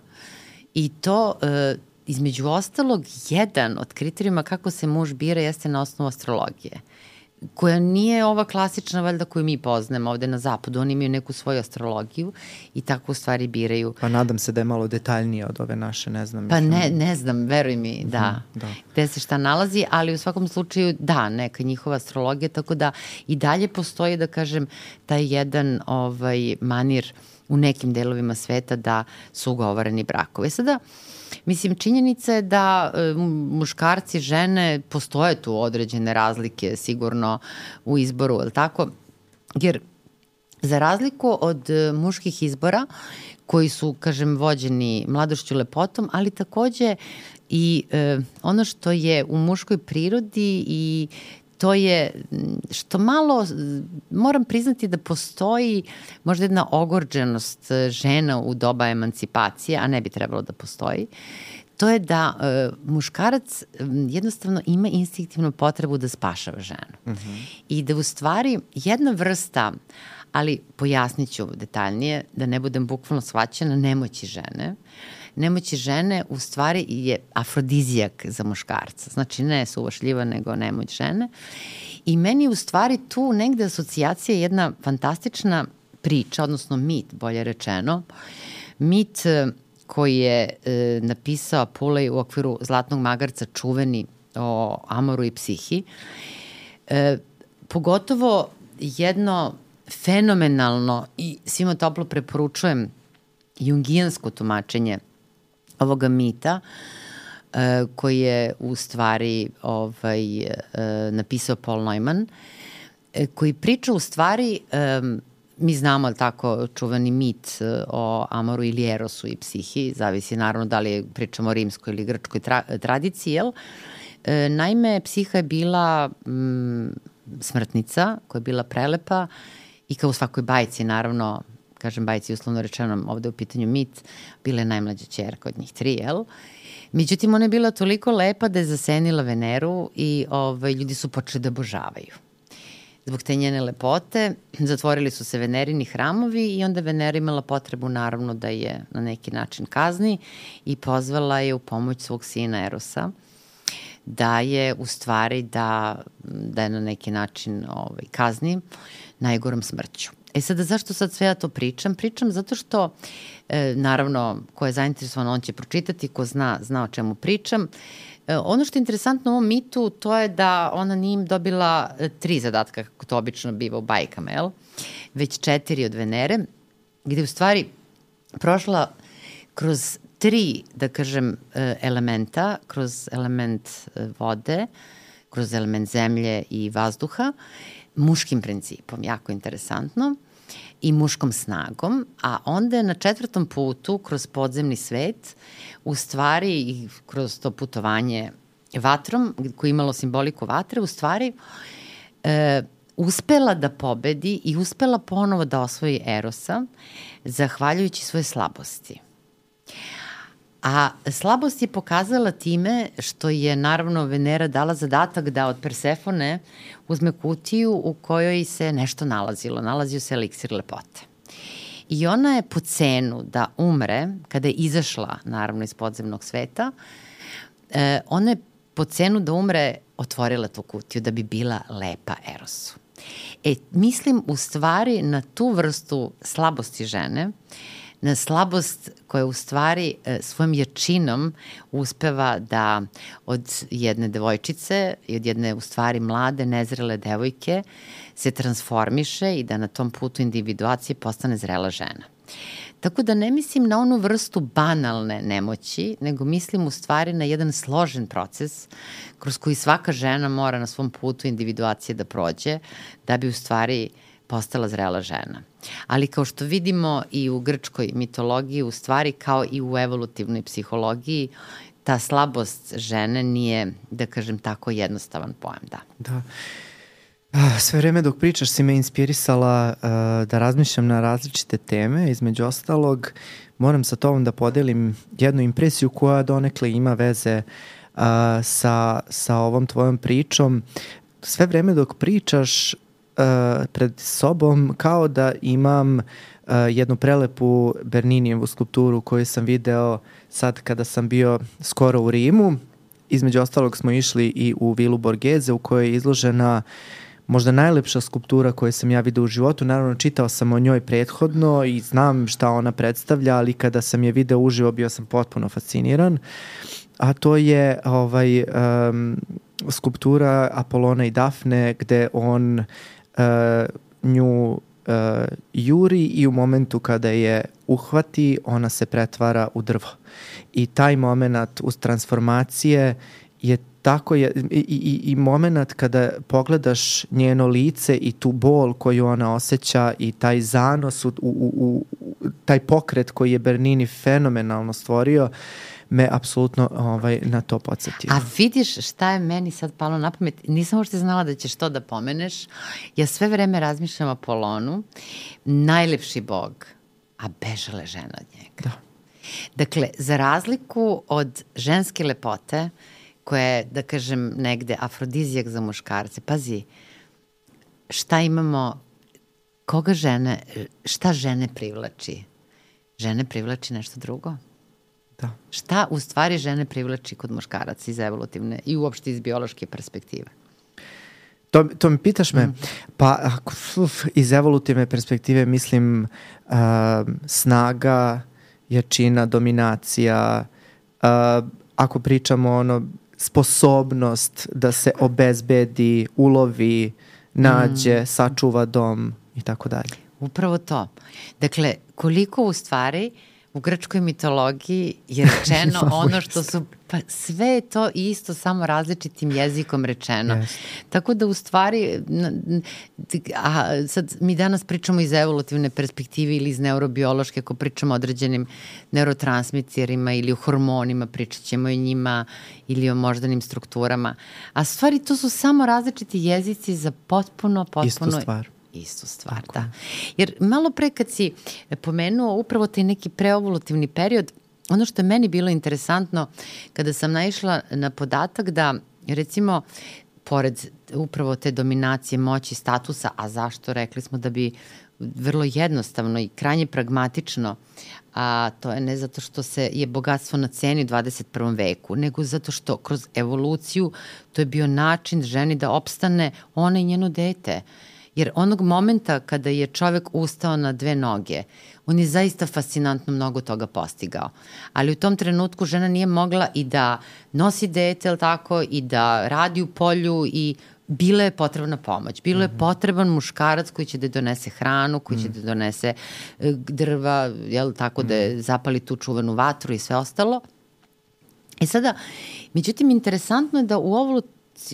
Speaker 2: i to e, između ostalog jedan od kriterijuma kako se muž bira jeste na osnovu astrologije, koja nije ova klasična valjda koju mi poznamo ovde na zapadu. Oni imaju neku svoju astrologiju i tako u stvari biraju.
Speaker 1: Pa nadam se da je malo detaljnije od ove naše, ne znam.
Speaker 2: Pa ne, ne znam, veruj mi, da,
Speaker 1: da.
Speaker 2: Gde se šta nalazi, ali u svakom slučaju da, neka njihova astrologija, tako da i dalje postoji, da kažem, taj jedan ovaj, manir u nekim delovima sveta da su ugovoreni brakovi. Sada, mislim, činjenica je da e, muškarci, žene, postoje tu određene razlike sigurno u izboru, je li tako? Jer za razliku od e, muških izbora, koji su, kažem, vođeni mladošću, lepotom, ali takođe i e, ono što je u muškoj prirodi i to je što malo, moram priznati da postoji možda jedna ogorđenost žena u doba emancipacije, a ne bi trebalo da postoji, to je da e, muškarac jednostavno ima instinktivnu potrebu da spašava ženu. Mm-hmm. I da u stvari jedna vrsta, ali pojasnit ću detaljnije, da ne budem bukvalno shvaćena, nemoći žene, nemoći žene u stvari je afrodizijak za muškarca. Znači ne suva šljiva, nego nemoć žene. I meni u stvari tu negde asocijacija je jedna fantastična priča, odnosno mit, bolje rečeno. Mit koji je e, napisao Pulej u okviru Zlatnog magarca, čuveni o Amoru i Psihi. E, pogotovo jedno fenomenalno i svima toplo preporučujem jungijansko tumačenje ovoga mita, e, koji je u stvari ovaj, e, napisao Paul Neumann, e, koji priča u stvari, e, mi znamo ali tako čuveni mit o Amoru ili Erosu i Psihi, zavisi naravno da li pričamo o rimskoj ili grčkoj tra, tradiciji, jel? E, naime, Psiha je bila mm, smrtnica koja je bila prelepa i kao u svakoj bajci naravno kažem bajci uslovno rečeno, ovde u pitanju mit, bila je najmlađa ćerka od njih tri, jel? Međutim, ona je bila toliko lepa da je zasenila Veneru i ovaj, ljudi su počeli da obožavaju. Zbog te njene lepote zatvorili su se Venerini hramovi i onda Venera imala potrebu naravno da je na neki način kazni i pozvala je u pomoć svog sina Erosa da je u stvari da, da je na neki način ovaj, kazni najgorom smrću. E sada, zašto sad sve ja to pričam? Pričam zato što, e, naravno, ko je zainteresovan, on će pročitati, ko zna, zna o čemu pričam. E, ono što je interesantno u ovom mitu, to je da ona nije im dobila e, tri zadatka, kako to obično biva u bajkama, jel? Već četiri od Venere, gde u stvari prošla kroz tri, da kažem, e, elementa, kroz element e, vode, kroz element zemlje i vazduha, muškim principom, jako interesantno, i muškom snagom, a onda je na četvrtom putu, kroz podzemni svet, u stvari i kroz to putovanje vatrom, koje je imalo simboliku vatre, u stvari e, uspela da pobedi i uspela ponovo da osvoji Erosa, zahvaljujući svoje slabosti. A slabost je pokazala time što je naravno Venera dala zadatak da od Persefone uzme kutiju u kojoj se nešto nalazilo. Nalazio se eliksir lepote. I ona je po cenu da umre, kada je izašla naravno iz podzemnog sveta, eh, ona je po cenu da umre otvorila tu kutiju da bi bila lepa Erosu. E, mislim u stvari na tu vrstu slabosti žene, na slabost koja u stvari e, svojom jačinom uspeva da od jedne devojčice i od jedne u stvari mlade, nezrele devojke se transformiše i da na tom putu individuacije postane zrela žena. Tako da ne mislim na onu vrstu banalne nemoći, nego mislim u stvari na jedan složen proces kroz koji svaka žena mora na svom putu individuacije da prođe da bi u stvari postala zrela žena. Ali kao što vidimo i u grčkoj mitologiji, u stvari kao i u evolutivnoj psihologiji, ta slabost žene nije, da kažem tako, jednostavan pojam, da.
Speaker 1: Da. Sve vreme dok pričaš si me inspirisala uh, da razmišljam na različite teme. Između ostalog, moram sa tobom da podelim jednu impresiju koja donekle ima veze uh, sa, sa ovom tvojom pričom. Sve vreme dok pričaš Uh, pred sobom kao da imam uh, jednu prelepu Berninijevu skulpturu koju sam video sad kada sam bio skoro u Rimu. Između ostalog smo išli i u vilu Borghese u kojoj je izložena možda najlepša skulptura koju sam ja video u životu. Naravno, čitao sam o njoj prethodno i znam šta ona predstavlja, ali kada sam je video uživo bio sam potpuno fasciniran. A to je ovaj, um, skulptura Apolona i Dafne gde on Uh, nju uh, juri i u momentu kada je uhvati, ona se pretvara u drvo. I taj moment uz transformacije je tako je, i, i, i moment kada pogledaš njeno lice i tu bol koju ona osjeća i taj zanos, u, u, u, taj pokret koji je Bernini fenomenalno stvorio, me apsolutno ovaj, na to podsjetio.
Speaker 2: A vidiš šta je meni sad palo na pamet? Nisam uopšte znala da ćeš to da pomeneš. Ja sve vreme razmišljam o Apolonu, najlepši bog, a bežale žena od njega.
Speaker 1: Da.
Speaker 2: Dakle, za razliku od ženske lepote, koja je, da kažem, negde afrodizijak za muškarce, pazi, šta imamo, koga žene, šta žene privlači? Žene privlači nešto drugo.
Speaker 1: Da.
Speaker 2: Šta u stvari žene privlači kod muškaraca iz evolutivne i uopšte iz biološke perspektive?
Speaker 1: To, to mi pitaš me? Mm. Pa uf, iz evolutivne perspektive mislim uh, snaga, jačina, dominacija, uh, ako pričamo ono, sposobnost da se obezbedi, ulovi, nađe, mm. sačuva dom i tako dalje.
Speaker 2: Upravo to. Dakle, koliko u stvari u grčkoj mitologiji je rečeno ono što su, pa sve je to isto, samo različitim jezikom rečeno. Yes. Tako da u stvari, a sad mi danas pričamo iz evolutivne perspektive ili iz neurobiološke, ako pričamo o određenim neurotransmiterima ili o hormonima, pričat ćemo i njima ili o moždanim strukturama. A stvari to su samo različiti jezici za potpuno, potpuno
Speaker 1: istu stvar.
Speaker 2: istu stvar, tako. Da. Jer malo pre kad si pomenuo upravo taj neki preovulativni period, ono što je meni bilo interesantno kada sam naišla na podatak da, recimo, pored upravo te dominacije moći statusa, a zašto, rekli smo da bi vrlo jednostavno i krajnje pragmatično, a to je ne zato što se je bogatstvo na ceni u dvadeset prvom veku, nego zato što kroz evoluciju to je bio način ženi da opstane ona i njeno dete. Jer onog momenta kada je čovek ustao na dve noge, on je zaista fascinantno mnogo toga postigao. Ali u tom trenutku žena nije mogla i da nosi dete, tako, i da radi u polju i bila je potrebna pomoć. Bilo je potreban muškarac koji će da donese hranu, koji će da donese drva, jel, tako, da zapali tu čuvenu vatru i sve ostalo. I sada, međutim, interesantno je da u ovu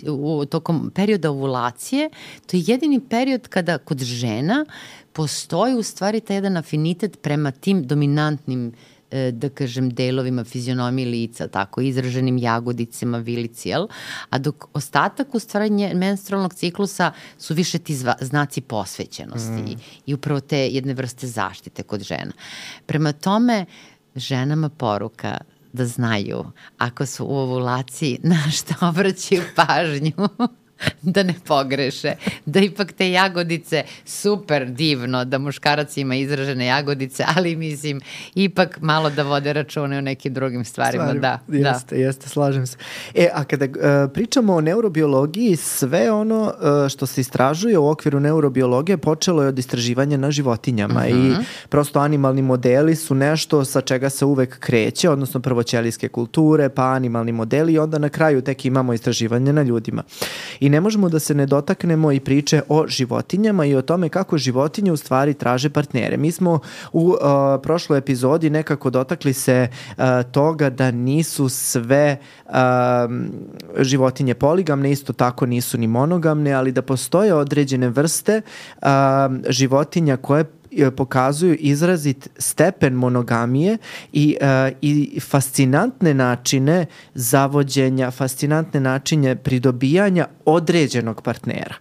Speaker 2: u tokom perioda ovulacije, to je jedini period kada kod žena postoji u stvari taj jedan afinitet prema tim dominantnim, da kažem, delovima fizionomije lica, tako, izraženim jagodicama, vilici, jel? A dok ostatak u stvari menstrualnog ciklusa su više ti zva, znaci posvećenosti mm. i upravo te jedne vrste zaštite kod žena. Prema tome, ženama poruka da znaju, ako su u ovulaciji, na šta obraćaju pažnju, da ne pogreše, da ipak te jagodice, super divno da muškarac ima izražene jagodice, ali mislim, ipak malo da vode račune o nekim drugim stvarima.
Speaker 1: Stvarima,
Speaker 2: da,
Speaker 1: jeste,
Speaker 2: da.
Speaker 1: jeste, slažem se. E, a kada uh, pričamo o neurobiologiji, sve ono uh, što se istražuje u okviru neurobiologije počelo je od istraživanja na životinjama uh-huh. i prosto animalni modeli su nešto sa čega se uvek kreće, odnosno prvo ćelijske kulture, pa animalni modeli i onda na kraju tek imamo istraživanje na ljudima. I ne možemo da se ne dotaknemo i priče o životinjama i o tome kako životinje u stvari traže partnere. Mi smo u uh, prošloj epizodi nekako dotakli se uh, toga da nisu sve uh, životinje poligamne, isto tako nisu ni monogamne, ali da postoje određene vrste uh, životinja koje pokazuju izrazit stepen monogamije i, uh, i fascinantne načine zavođenja, fascinantne načine pridobijanja određenog partnera.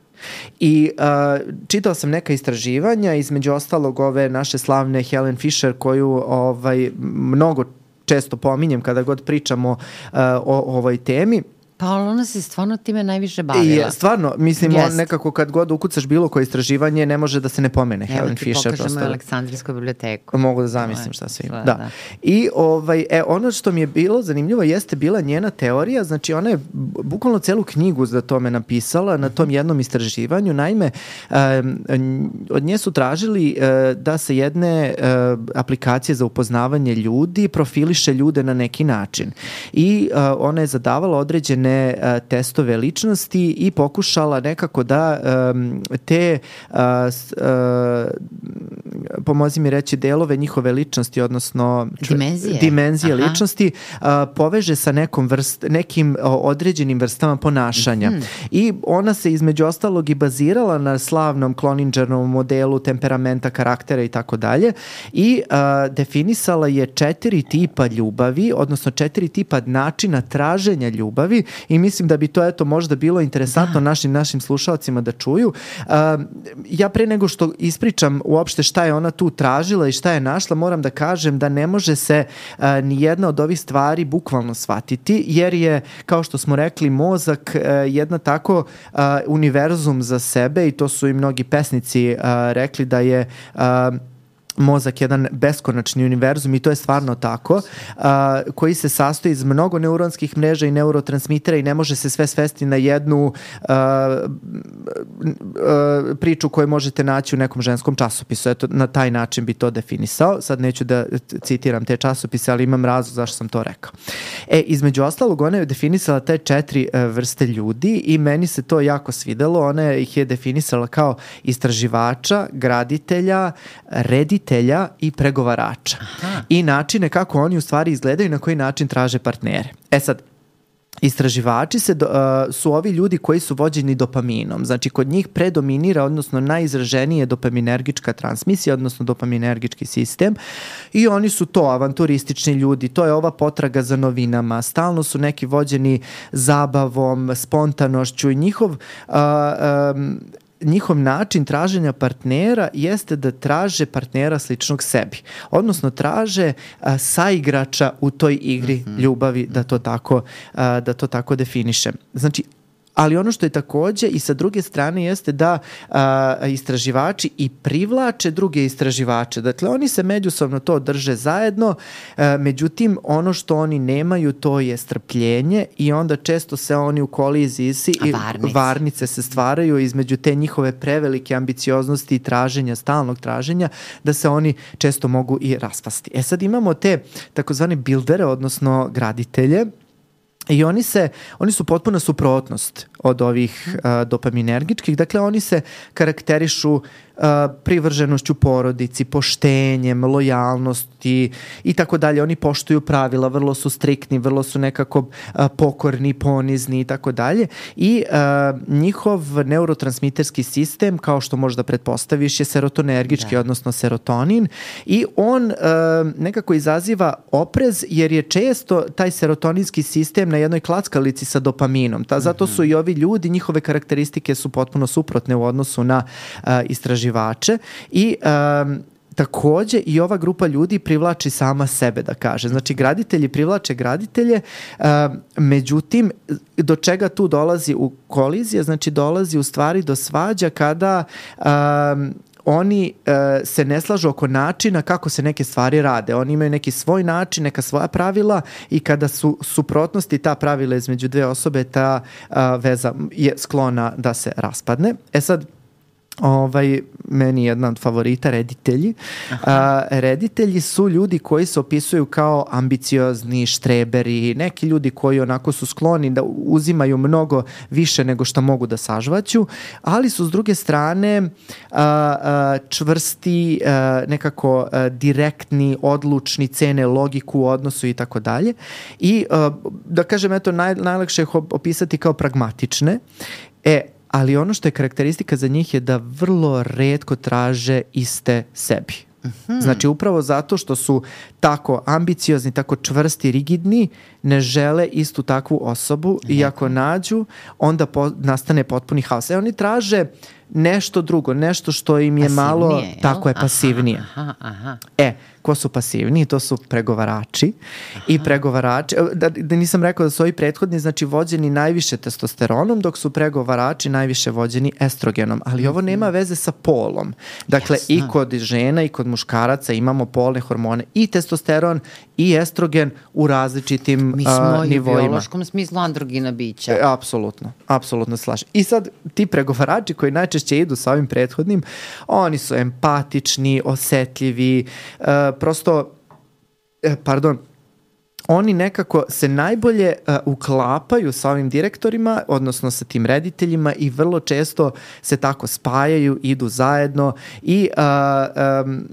Speaker 1: I uh, čitao sam neka istraživanja, između ostalog ove naše slavne Helen Fisher, koju ovaj, mnogo često pominjem kada god pričamo uh, o, o ovoj temi.
Speaker 2: Pa ona se stvarno time najviše bavila.
Speaker 1: I stvarno, mislim, yes. on nekako kad god ukucaš bilo koje istraživanje, ne može da se ne pomene Evo Helen Fisher. Evo ti
Speaker 2: pokažemo Aleksandrijsku biblioteku.
Speaker 1: Mogu da zamislim šta sve ima. Da. da. I ovaj, e, ono što mi je bilo zanimljivo jeste bila njena teorija, znači ona je bukvalno celu knjigu za tome napisala na tom jednom istraživanju. Naime, um, od nje su tražili uh, da se jedne uh, aplikacije za upoznavanje ljudi profiliše ljude na neki način. I uh, ona je zadavala određene testove ličnosti i pokušala nekako da um, te uh, uh, pomozi mi reći delove njihove ličnosti, odnosno
Speaker 2: dimenzije,
Speaker 1: dimenzije ličnosti uh, poveže sa nekom vrst, nekim uh, određenim vrstama ponašanja. Mm. I ona se između ostalog i bazirala na slavnom Cloningerovom modelu temperamenta, karaktera i tako dalje i uh, definisala je četiri tipa ljubavi, odnosno četiri tipa načina traženja ljubavi i mislim da bi to eto možda bilo interesantno da. našim našim slušalcima da čuju. Uh, ja pre nego što ispričam uopšte šta je ona tu tražila i šta je našla, moram da kažem da ne može se uh, ni jedna od ovih stvari bukvalno shvatiti, jer je, kao što smo rekli, mozak uh, jedna tako uh, univerzum za sebe i to su i mnogi pesnici uh, rekli da je uh, mozak jedan beskonačni univerzum i to je stvarno tako, uh, koji se sastoji iz mnogo neuronskih mreža i neurotransmitera i ne može se sve svesti na jednu uh, uh, priču koju možete naći u nekom ženskom časopisu. Eto, na taj način bi to definisao. Sad neću da citiram te časopise, ali imam razlog zašto sam to rekao. E, između ostalog, ona je definisala te četiri uh, vrste ljudi i meni se to jako svidelo. Ona ih je definisala kao istraživača, graditelja, reditelja i pregovarača. Aha. I načine kako oni u stvari izgledaju i na koji način traže partnere. E sad, istraživači se, uh, su ovi ljudi koji su vođeni dopaminom. Znači, kod njih predominira, odnosno najizraženije dopaminergička transmisija, odnosno dopaminergički sistem i oni su to avanturistični ljudi, to je ova potraga za novinama, stalno su neki vođeni zabavom, spontanošću i njihov uh, um, njihov način traženja partnera jeste da traže partnera sličnog sebi. Odnosno traže a, saigrača u toj igri mm-hmm. ljubavi, da to tako, a, da to tako definišem. Znači, ali ono što je takođe i sa druge strane jeste da a, istraživači i privlače druge istraživače. Dakle, oni se međusobno to drže zajedno, a, međutim, ono što oni nemaju to je strpljenje i onda često se oni u koliziji si i
Speaker 2: varnice.
Speaker 1: varnice se stvaraju između te njihove prevelike ambicioznosti i traženja, stalnog traženja, da se oni često mogu i raspasti. E sad imamo te takozvane buildere, odnosno graditelje, i oni se, oni su potpuna suprotnost od ovih uh, dopaminergičkih. Dakle, oni se karakterišu uh, privrženošću porodici, poštenjem, lojalnosti i tako dalje. Oni poštuju pravila, vrlo su striktni, vrlo su nekako uh, pokorni, ponizni i tako dalje. I uh, njihov neurotransmiterski sistem, kao što možda pretpostaviš, je serotonergički, da. odnosno serotonin. I on uh, nekako izaziva oprez, jer je često taj serotoninski sistem na jednoj klackalici sa dopaminom. Ta, zato su i ovi ljudi, njihove karakteristike su potpuno suprotne u odnosu na uh, istraživače i um, takođe i ova grupa ljudi privlači sama sebe, da kaže. Znači, graditelji privlače graditelje, uh, međutim, do čega tu dolazi u kolizije? Znači, dolazi u stvari do svađa kada um, oni uh, se ne slažu oko načina kako se neke stvari rade. Oni imaju neki svoj način, neka svoja pravila i kada su suprotnosti ta pravila između dve osobe, ta uh, veza je sklona da se raspadne. E sad, Ovaj, meni je jedan od favorita reditelji. A, reditelji su ljudi koji se opisuju kao ambiciozni, štreberi, neki ljudi koji onako su skloni da uzimaju mnogo više nego što mogu da sažvaću, ali su s druge strane a, a, čvrsti, a, nekako a, direktni, odlučni, cene logiku u odnosu i tako dalje. I a, da kažem, eto, naj, najlakše ih opisati kao pragmatične. E, ali ono što je karakteristika za njih je da vrlo retko traže iste sebi. Mm-hmm. Znači, upravo zato što su tako ambiciozni, tako čvrsti, rigidni, ne žele istu takvu osobu mm-hmm. i ako nađu, onda po, nastane potpuni haos. E, oni traže nešto drugo, nešto što im je pasivnije, malo... Jel? Tako je, pasivnije.
Speaker 2: Aha, aha.
Speaker 1: E, ko su pasivniji? To su pregovarači. Aha. I pregovarači, da, da nisam rekao da su ovi prethodni, znači vođeni najviše testosteronom, dok su pregovarači najviše vođeni estrogenom. Ali mm-hmm. ovo nema veze sa polom. Dakle, jasno. I kod žena i kod muškaraca imamo polne hormone, i testosteron i estrogen u različitim
Speaker 2: Mi smo
Speaker 1: uh, nivoima.
Speaker 2: U biološkom smislu androgina bića.
Speaker 1: E, apsolutno, apsolutno slažem. I sad ti pregovarači koji najčešće idu sa ovim prethodnim, oni su empatični, osetljivi, uh, prosto, eh, pardon, oni nekako se najbolje uh, uklapaju sa ovim direktorima, odnosno sa tim rediteljima, i vrlo često se tako spajaju, idu zajedno i uh, um,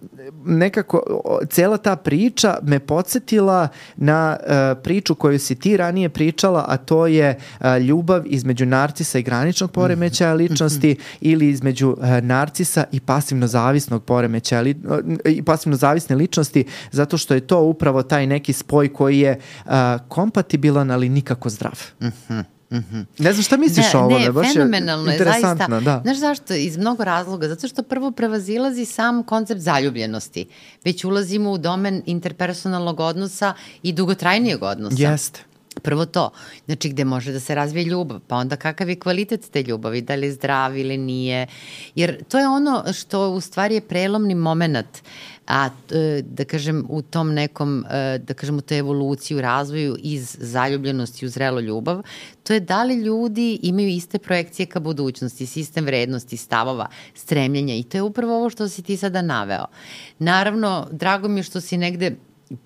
Speaker 1: nekako cela ta priča me podsjetila na uh, priču koju si ti ranije pričala, a to je uh, ljubav između narcisa i graničnog poremećaja ličnosti ili između uh, narcisa i pasivno zavisnog poremećaja li, uh, i pasivno zavisne ličnosti, zato što je to upravo taj neki spoj koji je uh, kompatibilan, ali nikako zdrav.
Speaker 2: Mhm. Mm-hmm.
Speaker 1: Ne znam šta misliš o ovome,
Speaker 2: ne,
Speaker 1: baš
Speaker 2: fenomenalno
Speaker 1: je interesantno.
Speaker 2: Je, zaista.
Speaker 1: Da.
Speaker 2: Znaš zašto? Iz mnogo razloga. Zato što prvo prevazilazi sam koncept zaljubljenosti. Već ulazimo u domen interpersonalnog odnosa i dugotrajnijeg odnosa.
Speaker 1: Jeste.
Speaker 2: Prvo to, znači gde može da se razvije ljubav, pa onda kakav je kvalitet te ljubavi, da li je zdrav ili nije, jer to je ono što u stvari je prelomni moment, a da kažem u tom nekom, da kažem u toj evoluciji, u razvoju iz zaljubljenosti u zrelu ljubav, to je da li ljudi imaju iste projekcije ka budućnosti, sistem vrednosti, stavova, stremljenja, i to je upravo ovo što si ti sada naveo. Naravno, drago mi je što si negde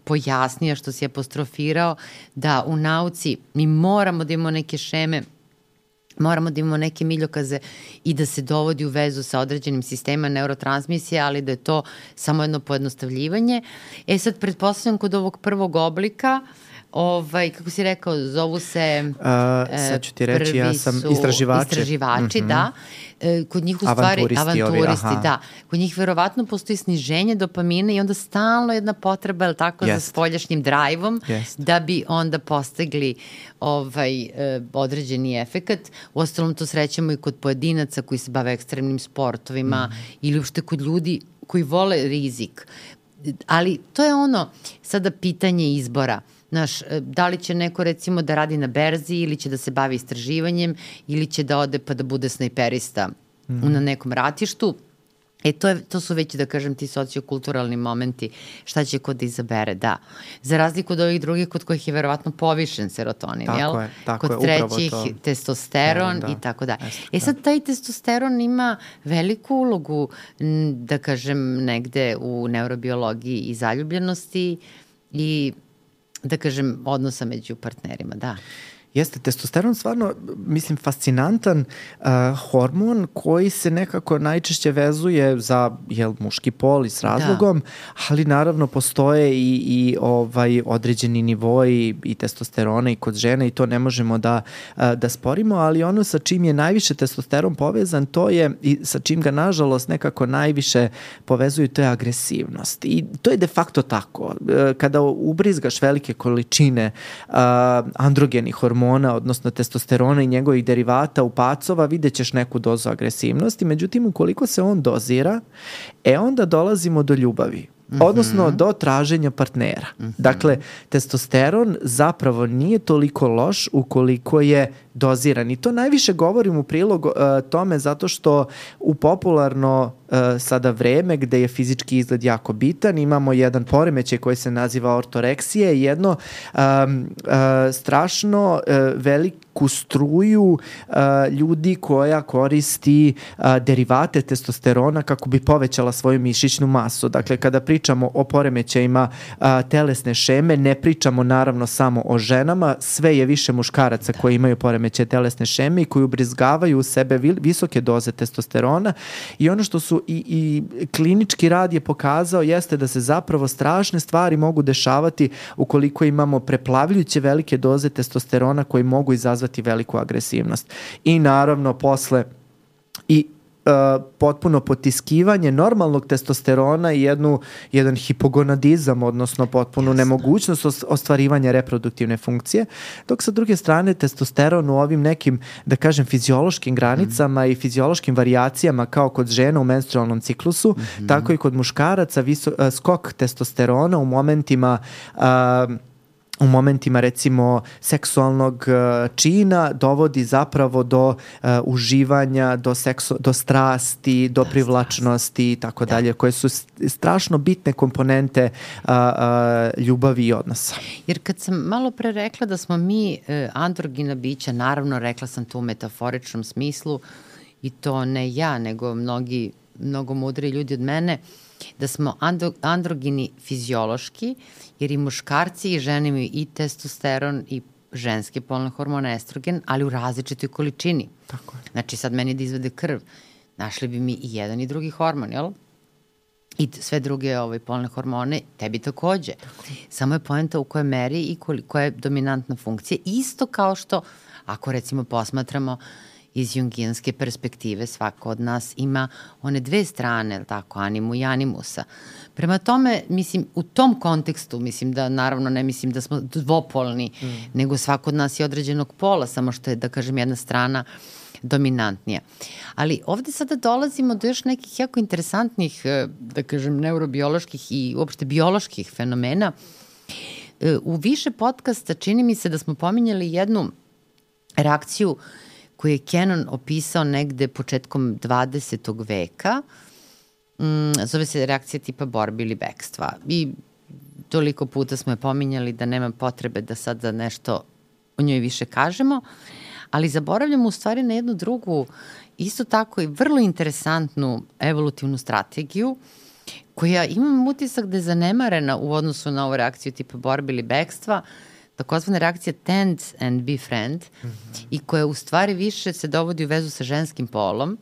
Speaker 2: pojasnio, što si apostrofirao, da u nauci mi moramo da imamo neke šeme, moramo da imamo neke miljokaze i da se dovodi u vezu sa određenim sistemima neurotransmisije, ali da je to samo jedno pojednostavljivanje. E sad, pretpostavljam kod ovog prvog oblika, ovaj, kako si rekao, zovu se...
Speaker 1: Uh, sad ću ti reći, ja sam istraživači.
Speaker 2: Istraživači,
Speaker 1: mm-hmm.
Speaker 2: da. E, kod njih u stvari...
Speaker 1: Avanturisti.
Speaker 2: Avanturisti,
Speaker 1: ovi,
Speaker 2: da. Kod njih verovatno postoji sniženje dopamina i onda stalno jedna potreba, je li tako, yes. za spoljašnjim drajvom, yes. da bi onda postigli ovaj, e, određeni efekat. Uostalom to srećemo i kod pojedinaca koji se bave ekstremnim sportovima mm. ili uopšte kod ljudi koji vole rizik. Ali to je ono, sada pitanje izbora. Znaš, da li će neko recimo da radi na berzi ili će da se bavi istraživanjem ili će da ode pa da bude snajperista mm. na nekom ratištu. E, to, je, to su već, da kažem, ti sociokulturalni momenti, šta će ko da izabere, da. Za razliku od ovih drugih kod kojih je verovatno povišen serotonin,
Speaker 1: tako
Speaker 2: jel?
Speaker 1: Je, tako
Speaker 2: kod
Speaker 1: je,
Speaker 2: trećih
Speaker 1: to.
Speaker 2: testosteron da, i tako da. E sad, taj testosteron ima veliku ulogu, da kažem, negde u neurobiologiji i zaljubljenosti i, da kažem, odnosa među partnerima, da.
Speaker 1: Jeste, testosteron stvarno, mislim, fascinantan uh, hormon koji se nekako najčešće vezuje za jel, muški pol i s razlogom, da. ali naravno postoje i, i ovaj određeni nivoi i testosterona i kod žene i to ne možemo da, uh, da sporimo, ali ono sa čim je najviše testosteron povezan, to je i sa čim ga nažalost nekako najviše povezuju, to je agresivnost. I to je de facto tako. Uh, kada ubrizgaš velike količine uh, androgenih hormona, odnosno testosterona i njegovih derivata u pacova, vidjet ćeš neku dozu agresivnosti, međutim, ukoliko se on dozira, e onda dolazimo do ljubavi. Odnosno mm-hmm. do traženja partnera. Mm-hmm. Dakle, testosteron zapravo nije toliko loš ukoliko je doziran. I to najviše govorim u prilog uh, tome zato što u popularno uh, sada vreme gde je fizički izgled jako bitan, imamo jedan poremećaj koji se naziva ortoreksija i jedno um, uh, strašno uh, veliku struju uh, ljudi koja koristi uh, derivate testosterona kako bi povećala svoju mišićnu masu. Dakle, kada pričamo o poremećajima uh, telesne šeme, ne pričamo naravno samo o ženama, sve je više muškaraca da. koji imaju poremećaje telesne šeme i koji ubrizgavaju u sebe visoke doze testosterona i ono što su i, i klinički rad je pokazao jeste da se zapravo strašne stvari mogu dešavati ukoliko imamo preplavljujuće velike doze testosterona koji mogu izazvati veliku agresivnost. I naravno posle i Uh, potpuno potiskivanje normalnog testosterona i jednu, jedan hipogonadizam, odnosno potpunu Jasne. nemogućnost ostvarivanja reproduktivne funkcije, dok sa druge strane testosteron u ovim nekim, da kažem, fiziološkim granicama mm. i fiziološkim varijacijama kao kod žena u menstrualnom ciklusu, mm-hmm. tako i kod muškaraca viso, uh, skok testosterona u momentima uh, u momentima recimo seksualnog uh, čina dovodi zapravo do uh, uživanja, do, seksu, do strasti, do da, privlačnosti i tako da. dalje, koje su strašno bitne komponente uh, uh, ljubavi i odnosa.
Speaker 2: Jer kad sam malo pre rekla da smo mi uh, androgina bića, naravno rekla sam to u metaforičnom smislu i to ne ja, nego mnogi, mnogo mudri ljudi od mene, da smo andro, androgini fiziološki, jer i muškarci i žene imaju i testosteron i ženske polne hormone estrogen, ali u različitoj količini.
Speaker 1: Tako je.
Speaker 2: Znači sad meni da izvede krv, našli bi mi i jedan i drugi hormon, jel? I sve druge ovaj, polne hormone, tebi takođe. Tako. Samo je poenta u kojoj meri i koja je dominantna funkcija. Isto kao što, ako recimo posmatramo iz jungijanske perspektive, svako od nas ima one dve strane, tako, animu i animusa. Prema tome, mislim, u tom kontekstu, mislim da, naravno, ne mislim da smo dvopolni, mm. nego svako od nas je određenog pola, samo što je, da kažem, jedna strana dominantnija. Ali ovde sada dolazimo do još nekih jako interesantnih, da kažem, neurobioloških i uopšte bioloških fenomena. U više podcasta čini mi se da smo pominjali jednu reakciju koju je Cannon opisao negde početkom dvadesetog veka. Mm, zove se reakcija tipa borbe ili bekstva. I toliko puta smo je pominjali da nema potrebe da sad za nešto o njoj više kažemo, ali zaboravljamo u stvari na jednu drugu, isto tako i vrlo interesantnu evolutivnu strategiju, koja imam utisak da je zanemarena u odnosu na ovu reakciju tipa borbe ili bekstva, takozvana reakcija tend and befriend, mm-hmm. i koja u stvari više se dovodi u vezu sa ženskim polom,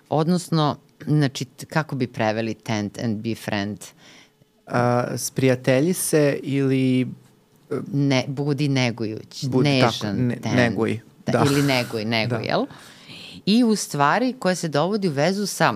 Speaker 2: odnosno, znači, kako bi preveli tend and befriend?
Speaker 1: A, sprijatelji se ili
Speaker 2: Ne, budi negujuć,
Speaker 1: budi,
Speaker 2: nežan,
Speaker 1: tako, ne,
Speaker 2: ten,
Speaker 1: neguj.
Speaker 2: Da,
Speaker 1: Da.
Speaker 2: ili neguj, neguj,
Speaker 1: Da.
Speaker 2: jel? I u stvari koja se dovodi u vezu sa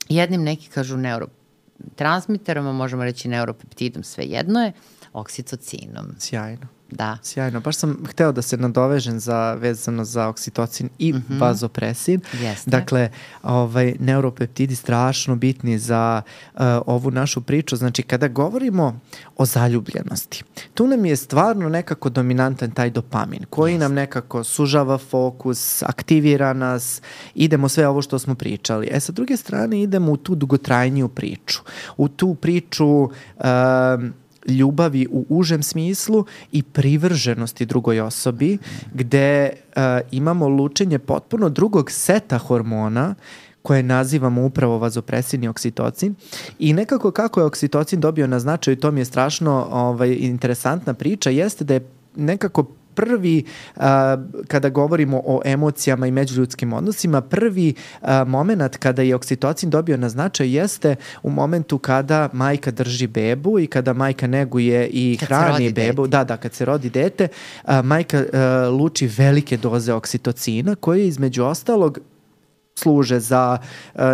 Speaker 2: jednim, neki kažu neurotransmiterom, a možemo reći neuropeptidom, sve jedno je, oksitocinom.
Speaker 1: Sjajno.
Speaker 2: Da.
Speaker 1: Sjajno. Baš sam hteo da se nadovežem za, vezano za oksitocin i mm-hmm. vazopresin.
Speaker 2: Jeste.
Speaker 1: Dakle, ovaj, neuropeptidi strašno bitni za uh, ovu našu priču. Znači, kada govorimo o zaljubljenosti, tu nam je stvarno nekako dominantan taj dopamin, koji Jeste. nam nekako sužava fokus, aktivira nas, idemo sve ovo što smo pričali. E, sa druge strane, idemo u tu dugotrajniju priču. U tu priču Uh, ljubavi u užem smislu i privrženosti drugoj osobi, gde uh, imamo lučenje potpuno drugog seta hormona koje nazivamo upravo vazopresin i oksitocin. I nekako kako je oksitocin dobio na značaju, to mi je strašno ovaj, interesantna priča, jeste da je nekako prvi, uh, kada govorimo o emocijama i međuljudskim odnosima, prvi uh, moment kada je oksitocin dobio na značaj jeste u momentu kada majka drži bebu i kada majka neguje i
Speaker 2: kad
Speaker 1: hrani bebu. Da, da, kad se rodi dete, uh, majka uh, luči velike doze oksitocina koje između ostalog služe za,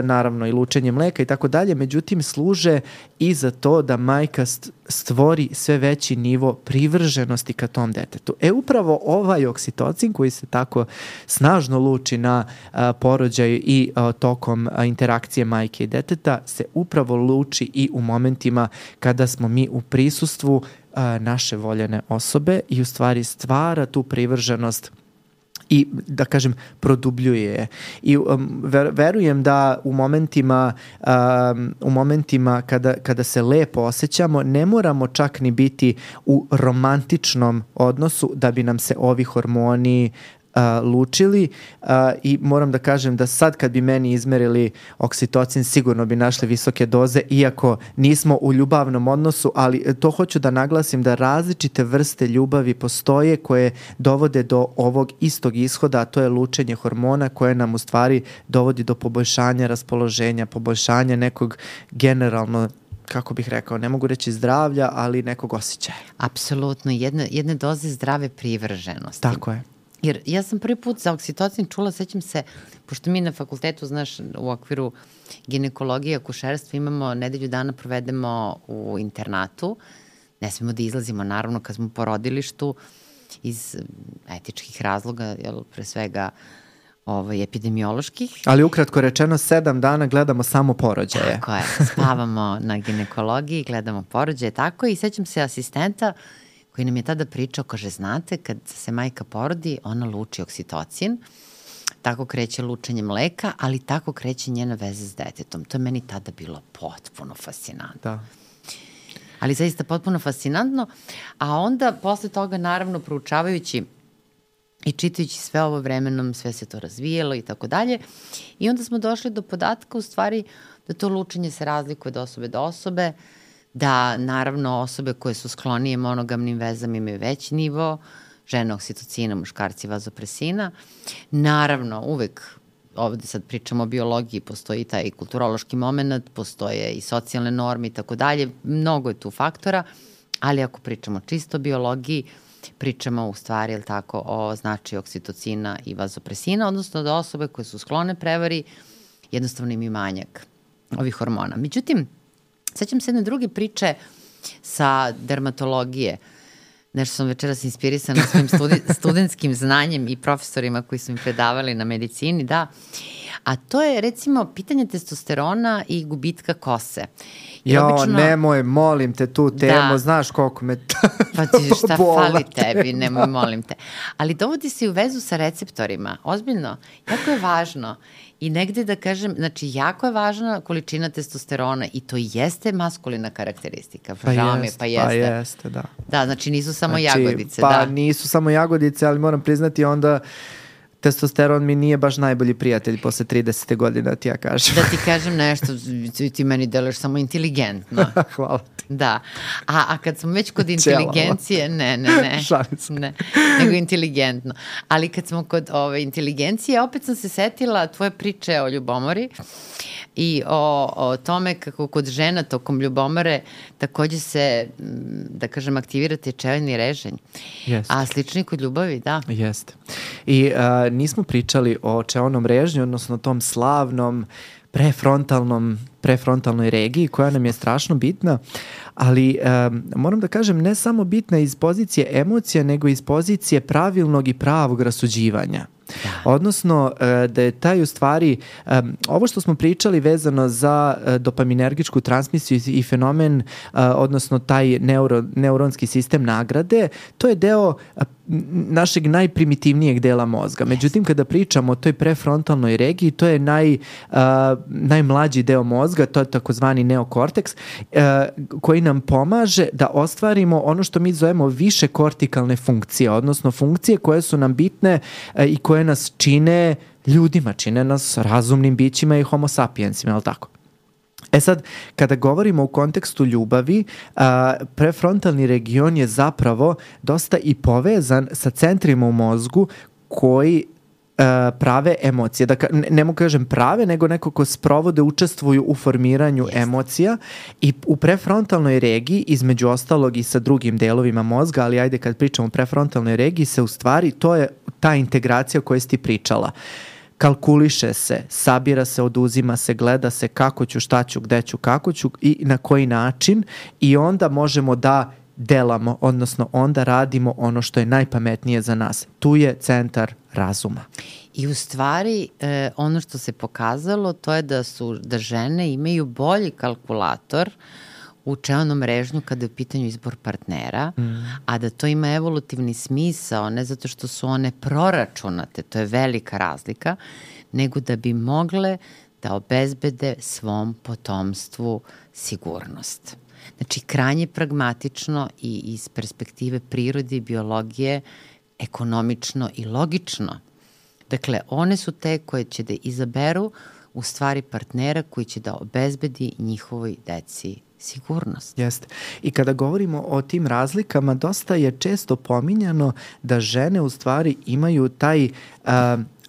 Speaker 1: naravno, i lučenje mleka i tako dalje, međutim služe i za to da majka stvori sve veći nivo privrženosti ka tom detetu. E, upravo ovaj oksitocin koji se tako snažno luči na a, porođaju i a, tokom a, interakcije majke i deteta se upravo luči i u momentima kada smo mi u prisustvu a, naše voljene osobe i u stvari stvara tu privrženost i, da kažem, produbljuje je. I um, ver, verujem da u momentima, um, u momentima kada, kada se lepo osjećamo, ne moramo čak ni biti u romantičnom odnosu da bi nam se ovi hormoni Uh, lučili uh, i moram da kažem da sad kad bi meni izmerili oksitocin sigurno bi našli visoke doze, iako nismo u ljubavnom odnosu, ali to hoću da naglasim da različite vrste ljubavi postoje koje dovode do ovog istog ishoda, a to je lučenje hormona koje nam u stvari dovodi do poboljšanja raspoloženja, poboljšanja nekog generalno, kako bih rekao, ne mogu reći zdravlja, ali nekog osjećaja.
Speaker 2: Apsolutno, jedne, jedne doze zdrave privrženosti.
Speaker 1: Tako je.
Speaker 2: Jer ja sam prvi put za oksitocin čula, sećam se, pošto mi na fakultetu, znaš, u okviru ginekologije i akušerstva imamo nedelju dana provedemo u internatu, ne smemo da izlazimo, naravno, kad smo u porodilištu iz etičkih razloga, jel, pre svega ovaj, epidemioloških.
Speaker 1: Ali ukratko rečeno, sedam dana gledamo samo porođaje.
Speaker 2: Tako je, spavamo na ginekologiji, gledamo porođaje, tako i sećam se asistenta koji nam je tada pričao, kaže, znate, kad se majka porodi, ona luči oksitocin, tako kreće lučenje mleka, ali tako kreće njena veza s detetom. To je meni tada bilo potpuno fascinantno.
Speaker 1: Da.
Speaker 2: Ali zaista potpuno fascinantno, a onda posle toga, naravno, proučavajući i čitajući sve ovo vremenom, sve se to razvijelo i tako dalje, i onda smo došli do podatka, u stvari, da to lučenje se razlikuje od osobe do osobe, da naravno osobe koje su sklonije monogamnim vezama imaju veći nivo, žene oksitocina, muškarci vazopresina. Naravno, uvek, ovde sad pričamo o biologiji, postoji taj kulturološki moment, postoje i socijalne norme i tako dalje, mnogo je tu faktora, ali ako pričamo čisto o biologiji, pričamo u stvari, jel tako, o značaju oksitocina i vazopresina, odnosno da osobe koje su sklone prevari jednostavno imaju manjak ovih hormona. Međutim, sećam se jedne druge priče sa dermatologije. Nešto sam večeras inspirisana svojim studi, studentskim znanjem i profesorima koji su mi predavali na medicini, da. A to je, recimo, pitanje testosterona i gubitka kose.
Speaker 1: Jo, obično, nemoj, molim te tu temu, da, znaš koliko me to
Speaker 2: pa ti šta fali tebi, nemoj, molim te. Ali dovodi se u vezu sa receptorima, ozbiljno, jako je važno. I negde da kažem, znači jako je važna količina testosterona i to jeste maskulina karakteristika.
Speaker 1: Pa
Speaker 2: Žao
Speaker 1: jest,
Speaker 2: pa jeste.
Speaker 1: pa jeste, da.
Speaker 2: Da, znači nisu samo
Speaker 1: znači,
Speaker 2: jagodice.
Speaker 1: Pa
Speaker 2: da.
Speaker 1: nisu samo jagodice, ali moram priznati onda testosteron mi nije baš najbolji prijatelj posle trideset godina, ti ja kažem.
Speaker 2: Da ti kažem nešto, ti meni deluješ samo inteligentno.
Speaker 1: Hvala ti.
Speaker 2: Da. A, a kad smo već kod inteligencije, ne, ne, ne.
Speaker 1: Šalim se.
Speaker 2: Ne, nego inteligentno. Ali kad smo kod ove inteligencije, opet sam se setila tvoje priče o ljubomori i o, o tome kako kod žena tokom ljubomore takođe se, da kažem, aktivira tečevni reženj.
Speaker 1: Jeste.
Speaker 2: A slično i kod ljubavi, da.
Speaker 1: Jeste. I a, nismo pričali o čeonom režnju, odnosno tom slavnom prefrontalnom, prefrontalnoj regiji koja nam je strašno bitna, ali um, moram da kažem ne samo bitna iz pozicije emocija, nego iz pozicije pravilnog i pravog rasuđivanja. Da. Odnosno da je taj u stvari, um, ovo što smo pričali vezano za uh, dopaminergičku transmisiju i fenomen, uh, odnosno taj neuro, neuronski sistem nagrade, to je deo uh, našeg najprimitivnijeg dela mozga. Međutim, kada pričamo o toj prefrontalnoj regiji, to je naj, uh, najmlađi deo mozga, to je takozvani neokorteks, uh, koji nam pomaže da ostvarimo ono što mi zovemo više kortikalne funkcije, odnosno funkcije koje su nam bitne uh, i koje nas čine ljudima, čine nas razumnim bićima i homo sapiensima, je li tako? E sad, kada govorimo u kontekstu ljubavi, a, prefrontalni region je zapravo dosta i povezan sa centrima u mozgu koji a, prave emocije. Dakle, ne, ne mogu kažem prave, nego neko ko sprovode, učestvuju u formiranju yes. emocija i u prefrontalnoj regiji, između ostalog i sa drugim delovima mozga, ali ajde kad pričamo o prefrontalnoj regiji, se u stvari, to je ta integracija o kojoj si ti pričala. Kalkuliše se, sabira se, oduzima se, gleda se kako ću, šta ću, gde ću, kako ću i na koji način i onda možemo da delamo, odnosno onda radimo ono što je najpametnije za nas. Tu je centar razuma.
Speaker 2: I u stvari eh, ono što se pokazalo to je da su da žene imaju bolji kalkulator u čeonom režnju kada je u pitanju izbor partnera, mm. a da to ima evolutivni smisao, ne zato što su one proračunate, to je velika razlika, nego da bi mogle da obezbede svom potomstvu sigurnost. Znači, krajnje pragmatično i iz perspektive prirode i biologije ekonomično i logično. Dakle, one su te koje će da izaberu u stvari partnera koji će da obezbedi njihovoj deci sigurnost.
Speaker 1: Jeste. I kada govorimo o tim razlikama, dosta je često pominjano da žene u stvari imaju taj uh,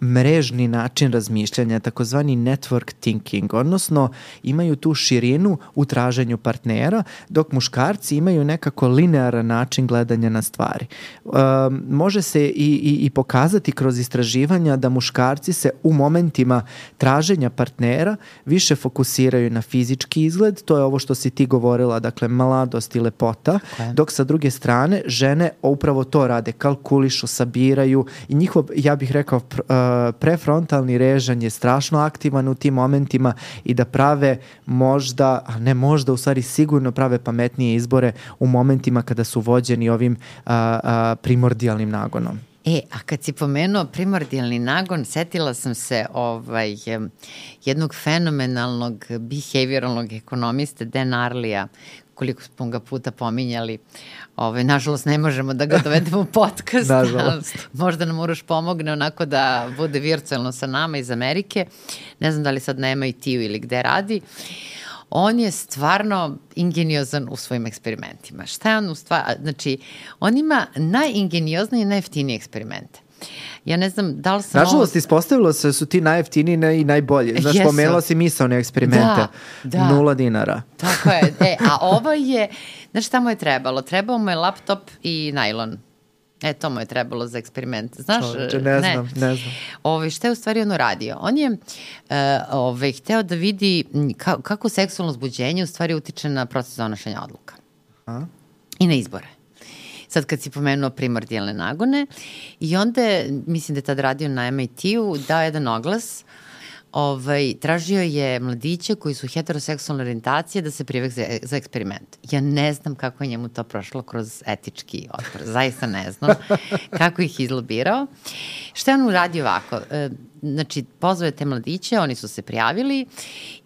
Speaker 1: mrežni način razmišljanja, takozvani network thinking, odnosno imaju tu širinu u traženju partnera, dok muškarci imaju nekako linearan način gledanja na stvari. Um, može se i, i, i pokazati kroz istraživanja da muškarci se u momentima traženja partnera više fokusiraju na fizički izgled, to je ovo što si ti govorila, dakle mladost i lepota, okay. dok sa druge strane žene upravo to rade, kalkulišu, sabiraju i njihov, ja bih rekao, uh, prefrontalni režanj je strašno aktivan u tim momentima i da prave možda, a ne možda, u stvari sigurno prave pametnije izbore u momentima kada su vođeni ovim a, a, primordijalnim nagonom.
Speaker 2: E, a kad si pomenuo primordijalni nagon, setila sam se ovaj, jednog fenomenalnog behavioralnog ekonomiste, Dan Arlija, koliko smo ga puta pominjali. Ove, nažalost, ne možemo da ga dovedemo u podcast.
Speaker 1: Nažalost.
Speaker 2: Možda nam Uroš pomogne onako da bude virtualno sa nama iz Amerike. Ne znam da li sad na M I T-u ili gde radi. On je stvarno ingeniozan u svojim eksperimentima. Šta je on u stvari? Znači, on ima najingenioznije i najjeftinije eksperimente. Ja ne znam da li sam...
Speaker 1: Nažalost, ovo... ispostavilo se da su ti najjeftiniji i najbolji. Znaš, Jesu. Pomenula si misaone eksperimente.
Speaker 2: Da, da.
Speaker 1: Nula dinara.
Speaker 2: Tako je. E, a ovo je... Znaš šta mu je trebalo? Trebao mu je laptop i najlon. E, to mu je trebalo za eksperiment. Znaš?
Speaker 1: Čovječe, ne, ne znam, ne znam.
Speaker 2: Ove, šta je u stvari ono radio? On je uh, ove, hteo da vidi ka, kako seksualno uzbuđenje u stvari utiče na proces donošenja odluka.
Speaker 1: A?
Speaker 2: I na izbore. Sad kad si pomenuo primordijalne nagone i onda je, mislim da je tad radio na M I T-u, dao jedan oglas, ovaj, tražio je mladiće koji su heteroseksualne orijentacije da se prijave za, za eksperiment. Ja ne znam kako je njemu to prošlo kroz etički odbor, zaista ne znam kako ih izlobirao. Šta je on uradio ovako? E, znači, pozvao je te mladiće, oni su se prijavili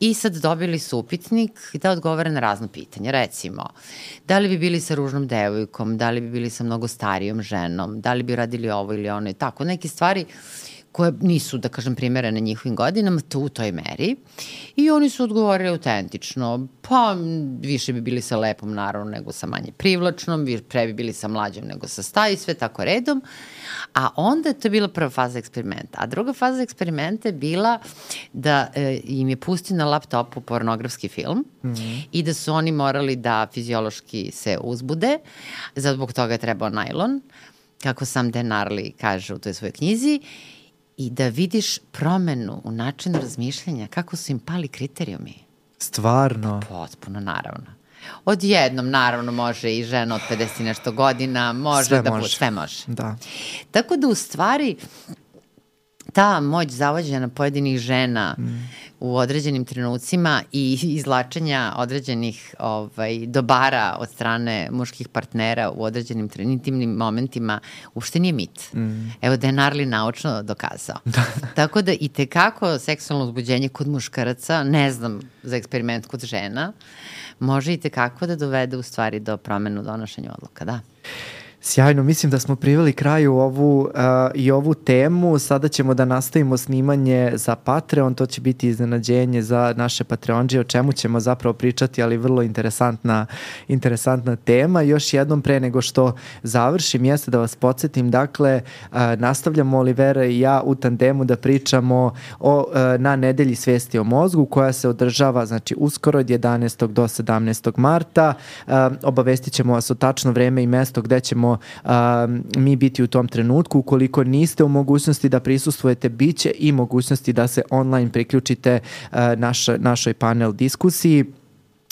Speaker 2: i sad dobili su upitnik da odgovore na razno pitanje. Recimo, da li bi bili sa ružnom devojkom, da li bi bili sa mnogo starijom ženom, da li bi radili ovo ili ono i tako. Neke stvari koje nisu, da kažem, primerene njihovim godinama, to u toj meri. I oni su odgovorili autentično, pa više bi bili sa lepom, naravno, nego sa manje privlačnom, pre bi bili sa mlađom nego sa starom, sve tako redom. A onda to je bila prva faza eksperimenta. A druga faza eksperimenta je bila da e, im je pustio na laptopu pornografski film mm-hmm. i da su oni morali da fiziološki se uzbude, zbog toga je trebao najlon, kako sam Dan Ariely kaže u toj svojoj knjizi, i da vidiš promenu u načinu razmišljanja, kako su im pali kriterijumi.
Speaker 1: Stvarno?
Speaker 2: Potpuno, naravno. Odjednom, naravno, može i žena od pedeset nešto godina, može
Speaker 1: sve
Speaker 2: da
Speaker 1: može.
Speaker 2: bude, sve može.
Speaker 1: Da.
Speaker 2: Tako da, u stvari, ta moć zavođena pojedinih žena mm. u određenim trenucima i izlačenja određenih ovaj, dobara od strane muških partnera u određenim intimnim momentima uopšte nije mit. Mm. Evo, Dan Ariely naučno dokazao. Da. Tako da i tekako seksualno uzbuđenje kod muškaraca, ne znam za eksperiment kod žena, može i tekako da dovede u stvari do promenu donošenja odluka, da.
Speaker 1: Sjajno, mislim da smo priveli kraju ovu uh, i ovu temu. Sada ćemo da nastavimo snimanje za Patreon, to će biti iznenađenje za naše Patreonđe, o čemu ćemo zapravo pričati, ali vrlo interesantna, interesantna tema. Još jednom pre nego što završim, jeste da vas podsjetim, dakle, uh, nastavljamo Olivera i ja u tandemu da pričamo o, uh, na nedelji svesti o mozgu, koja se održava, znači, uskoro od jedanaestog do sedamnaestog marta. Uh, obavestit ćemo vas o tačno vreme i mesto gde ćemo Uh, mi biti u tom trenutku. Ukoliko niste u mogućnosti da prisustvujete, bit će i mogućnosti da se online priključite uh, naš, našoj panel diskusiji.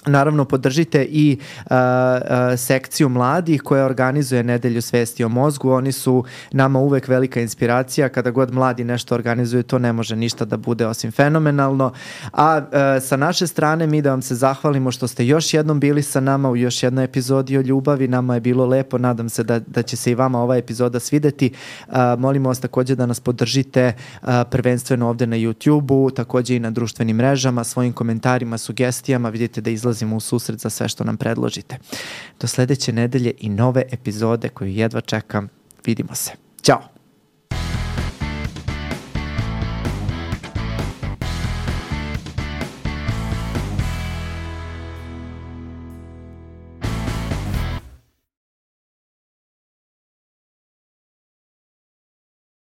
Speaker 1: Naravno, podržite i uh, uh, sekciju mladih koja organizuje Nedelju svesti o mozgu. Oni su nama uvek velika inspiracija. Kada god mladi nešto organizuju, to ne može ništa da bude osim fenomenalno. A uh, sa naše strane mi da vam se zahvalimo što ste još jednom bili sa nama u još jednoj epizodi o ljubavi. Nama je bilo lepo. Nadam se da, da će se i vama ova epizoda svideti. Uh, molimo vas takođe da nas podržite uh, prvenstveno ovde na YouTube-u, takođe i na društvenim mrežama, svojim komentarima, sugestijama. Vidite da izlazi u susret za sve što nam predložite. Do sledeće nedelje i nove epizode koju jedva čekam. Vidimo se. Ćao!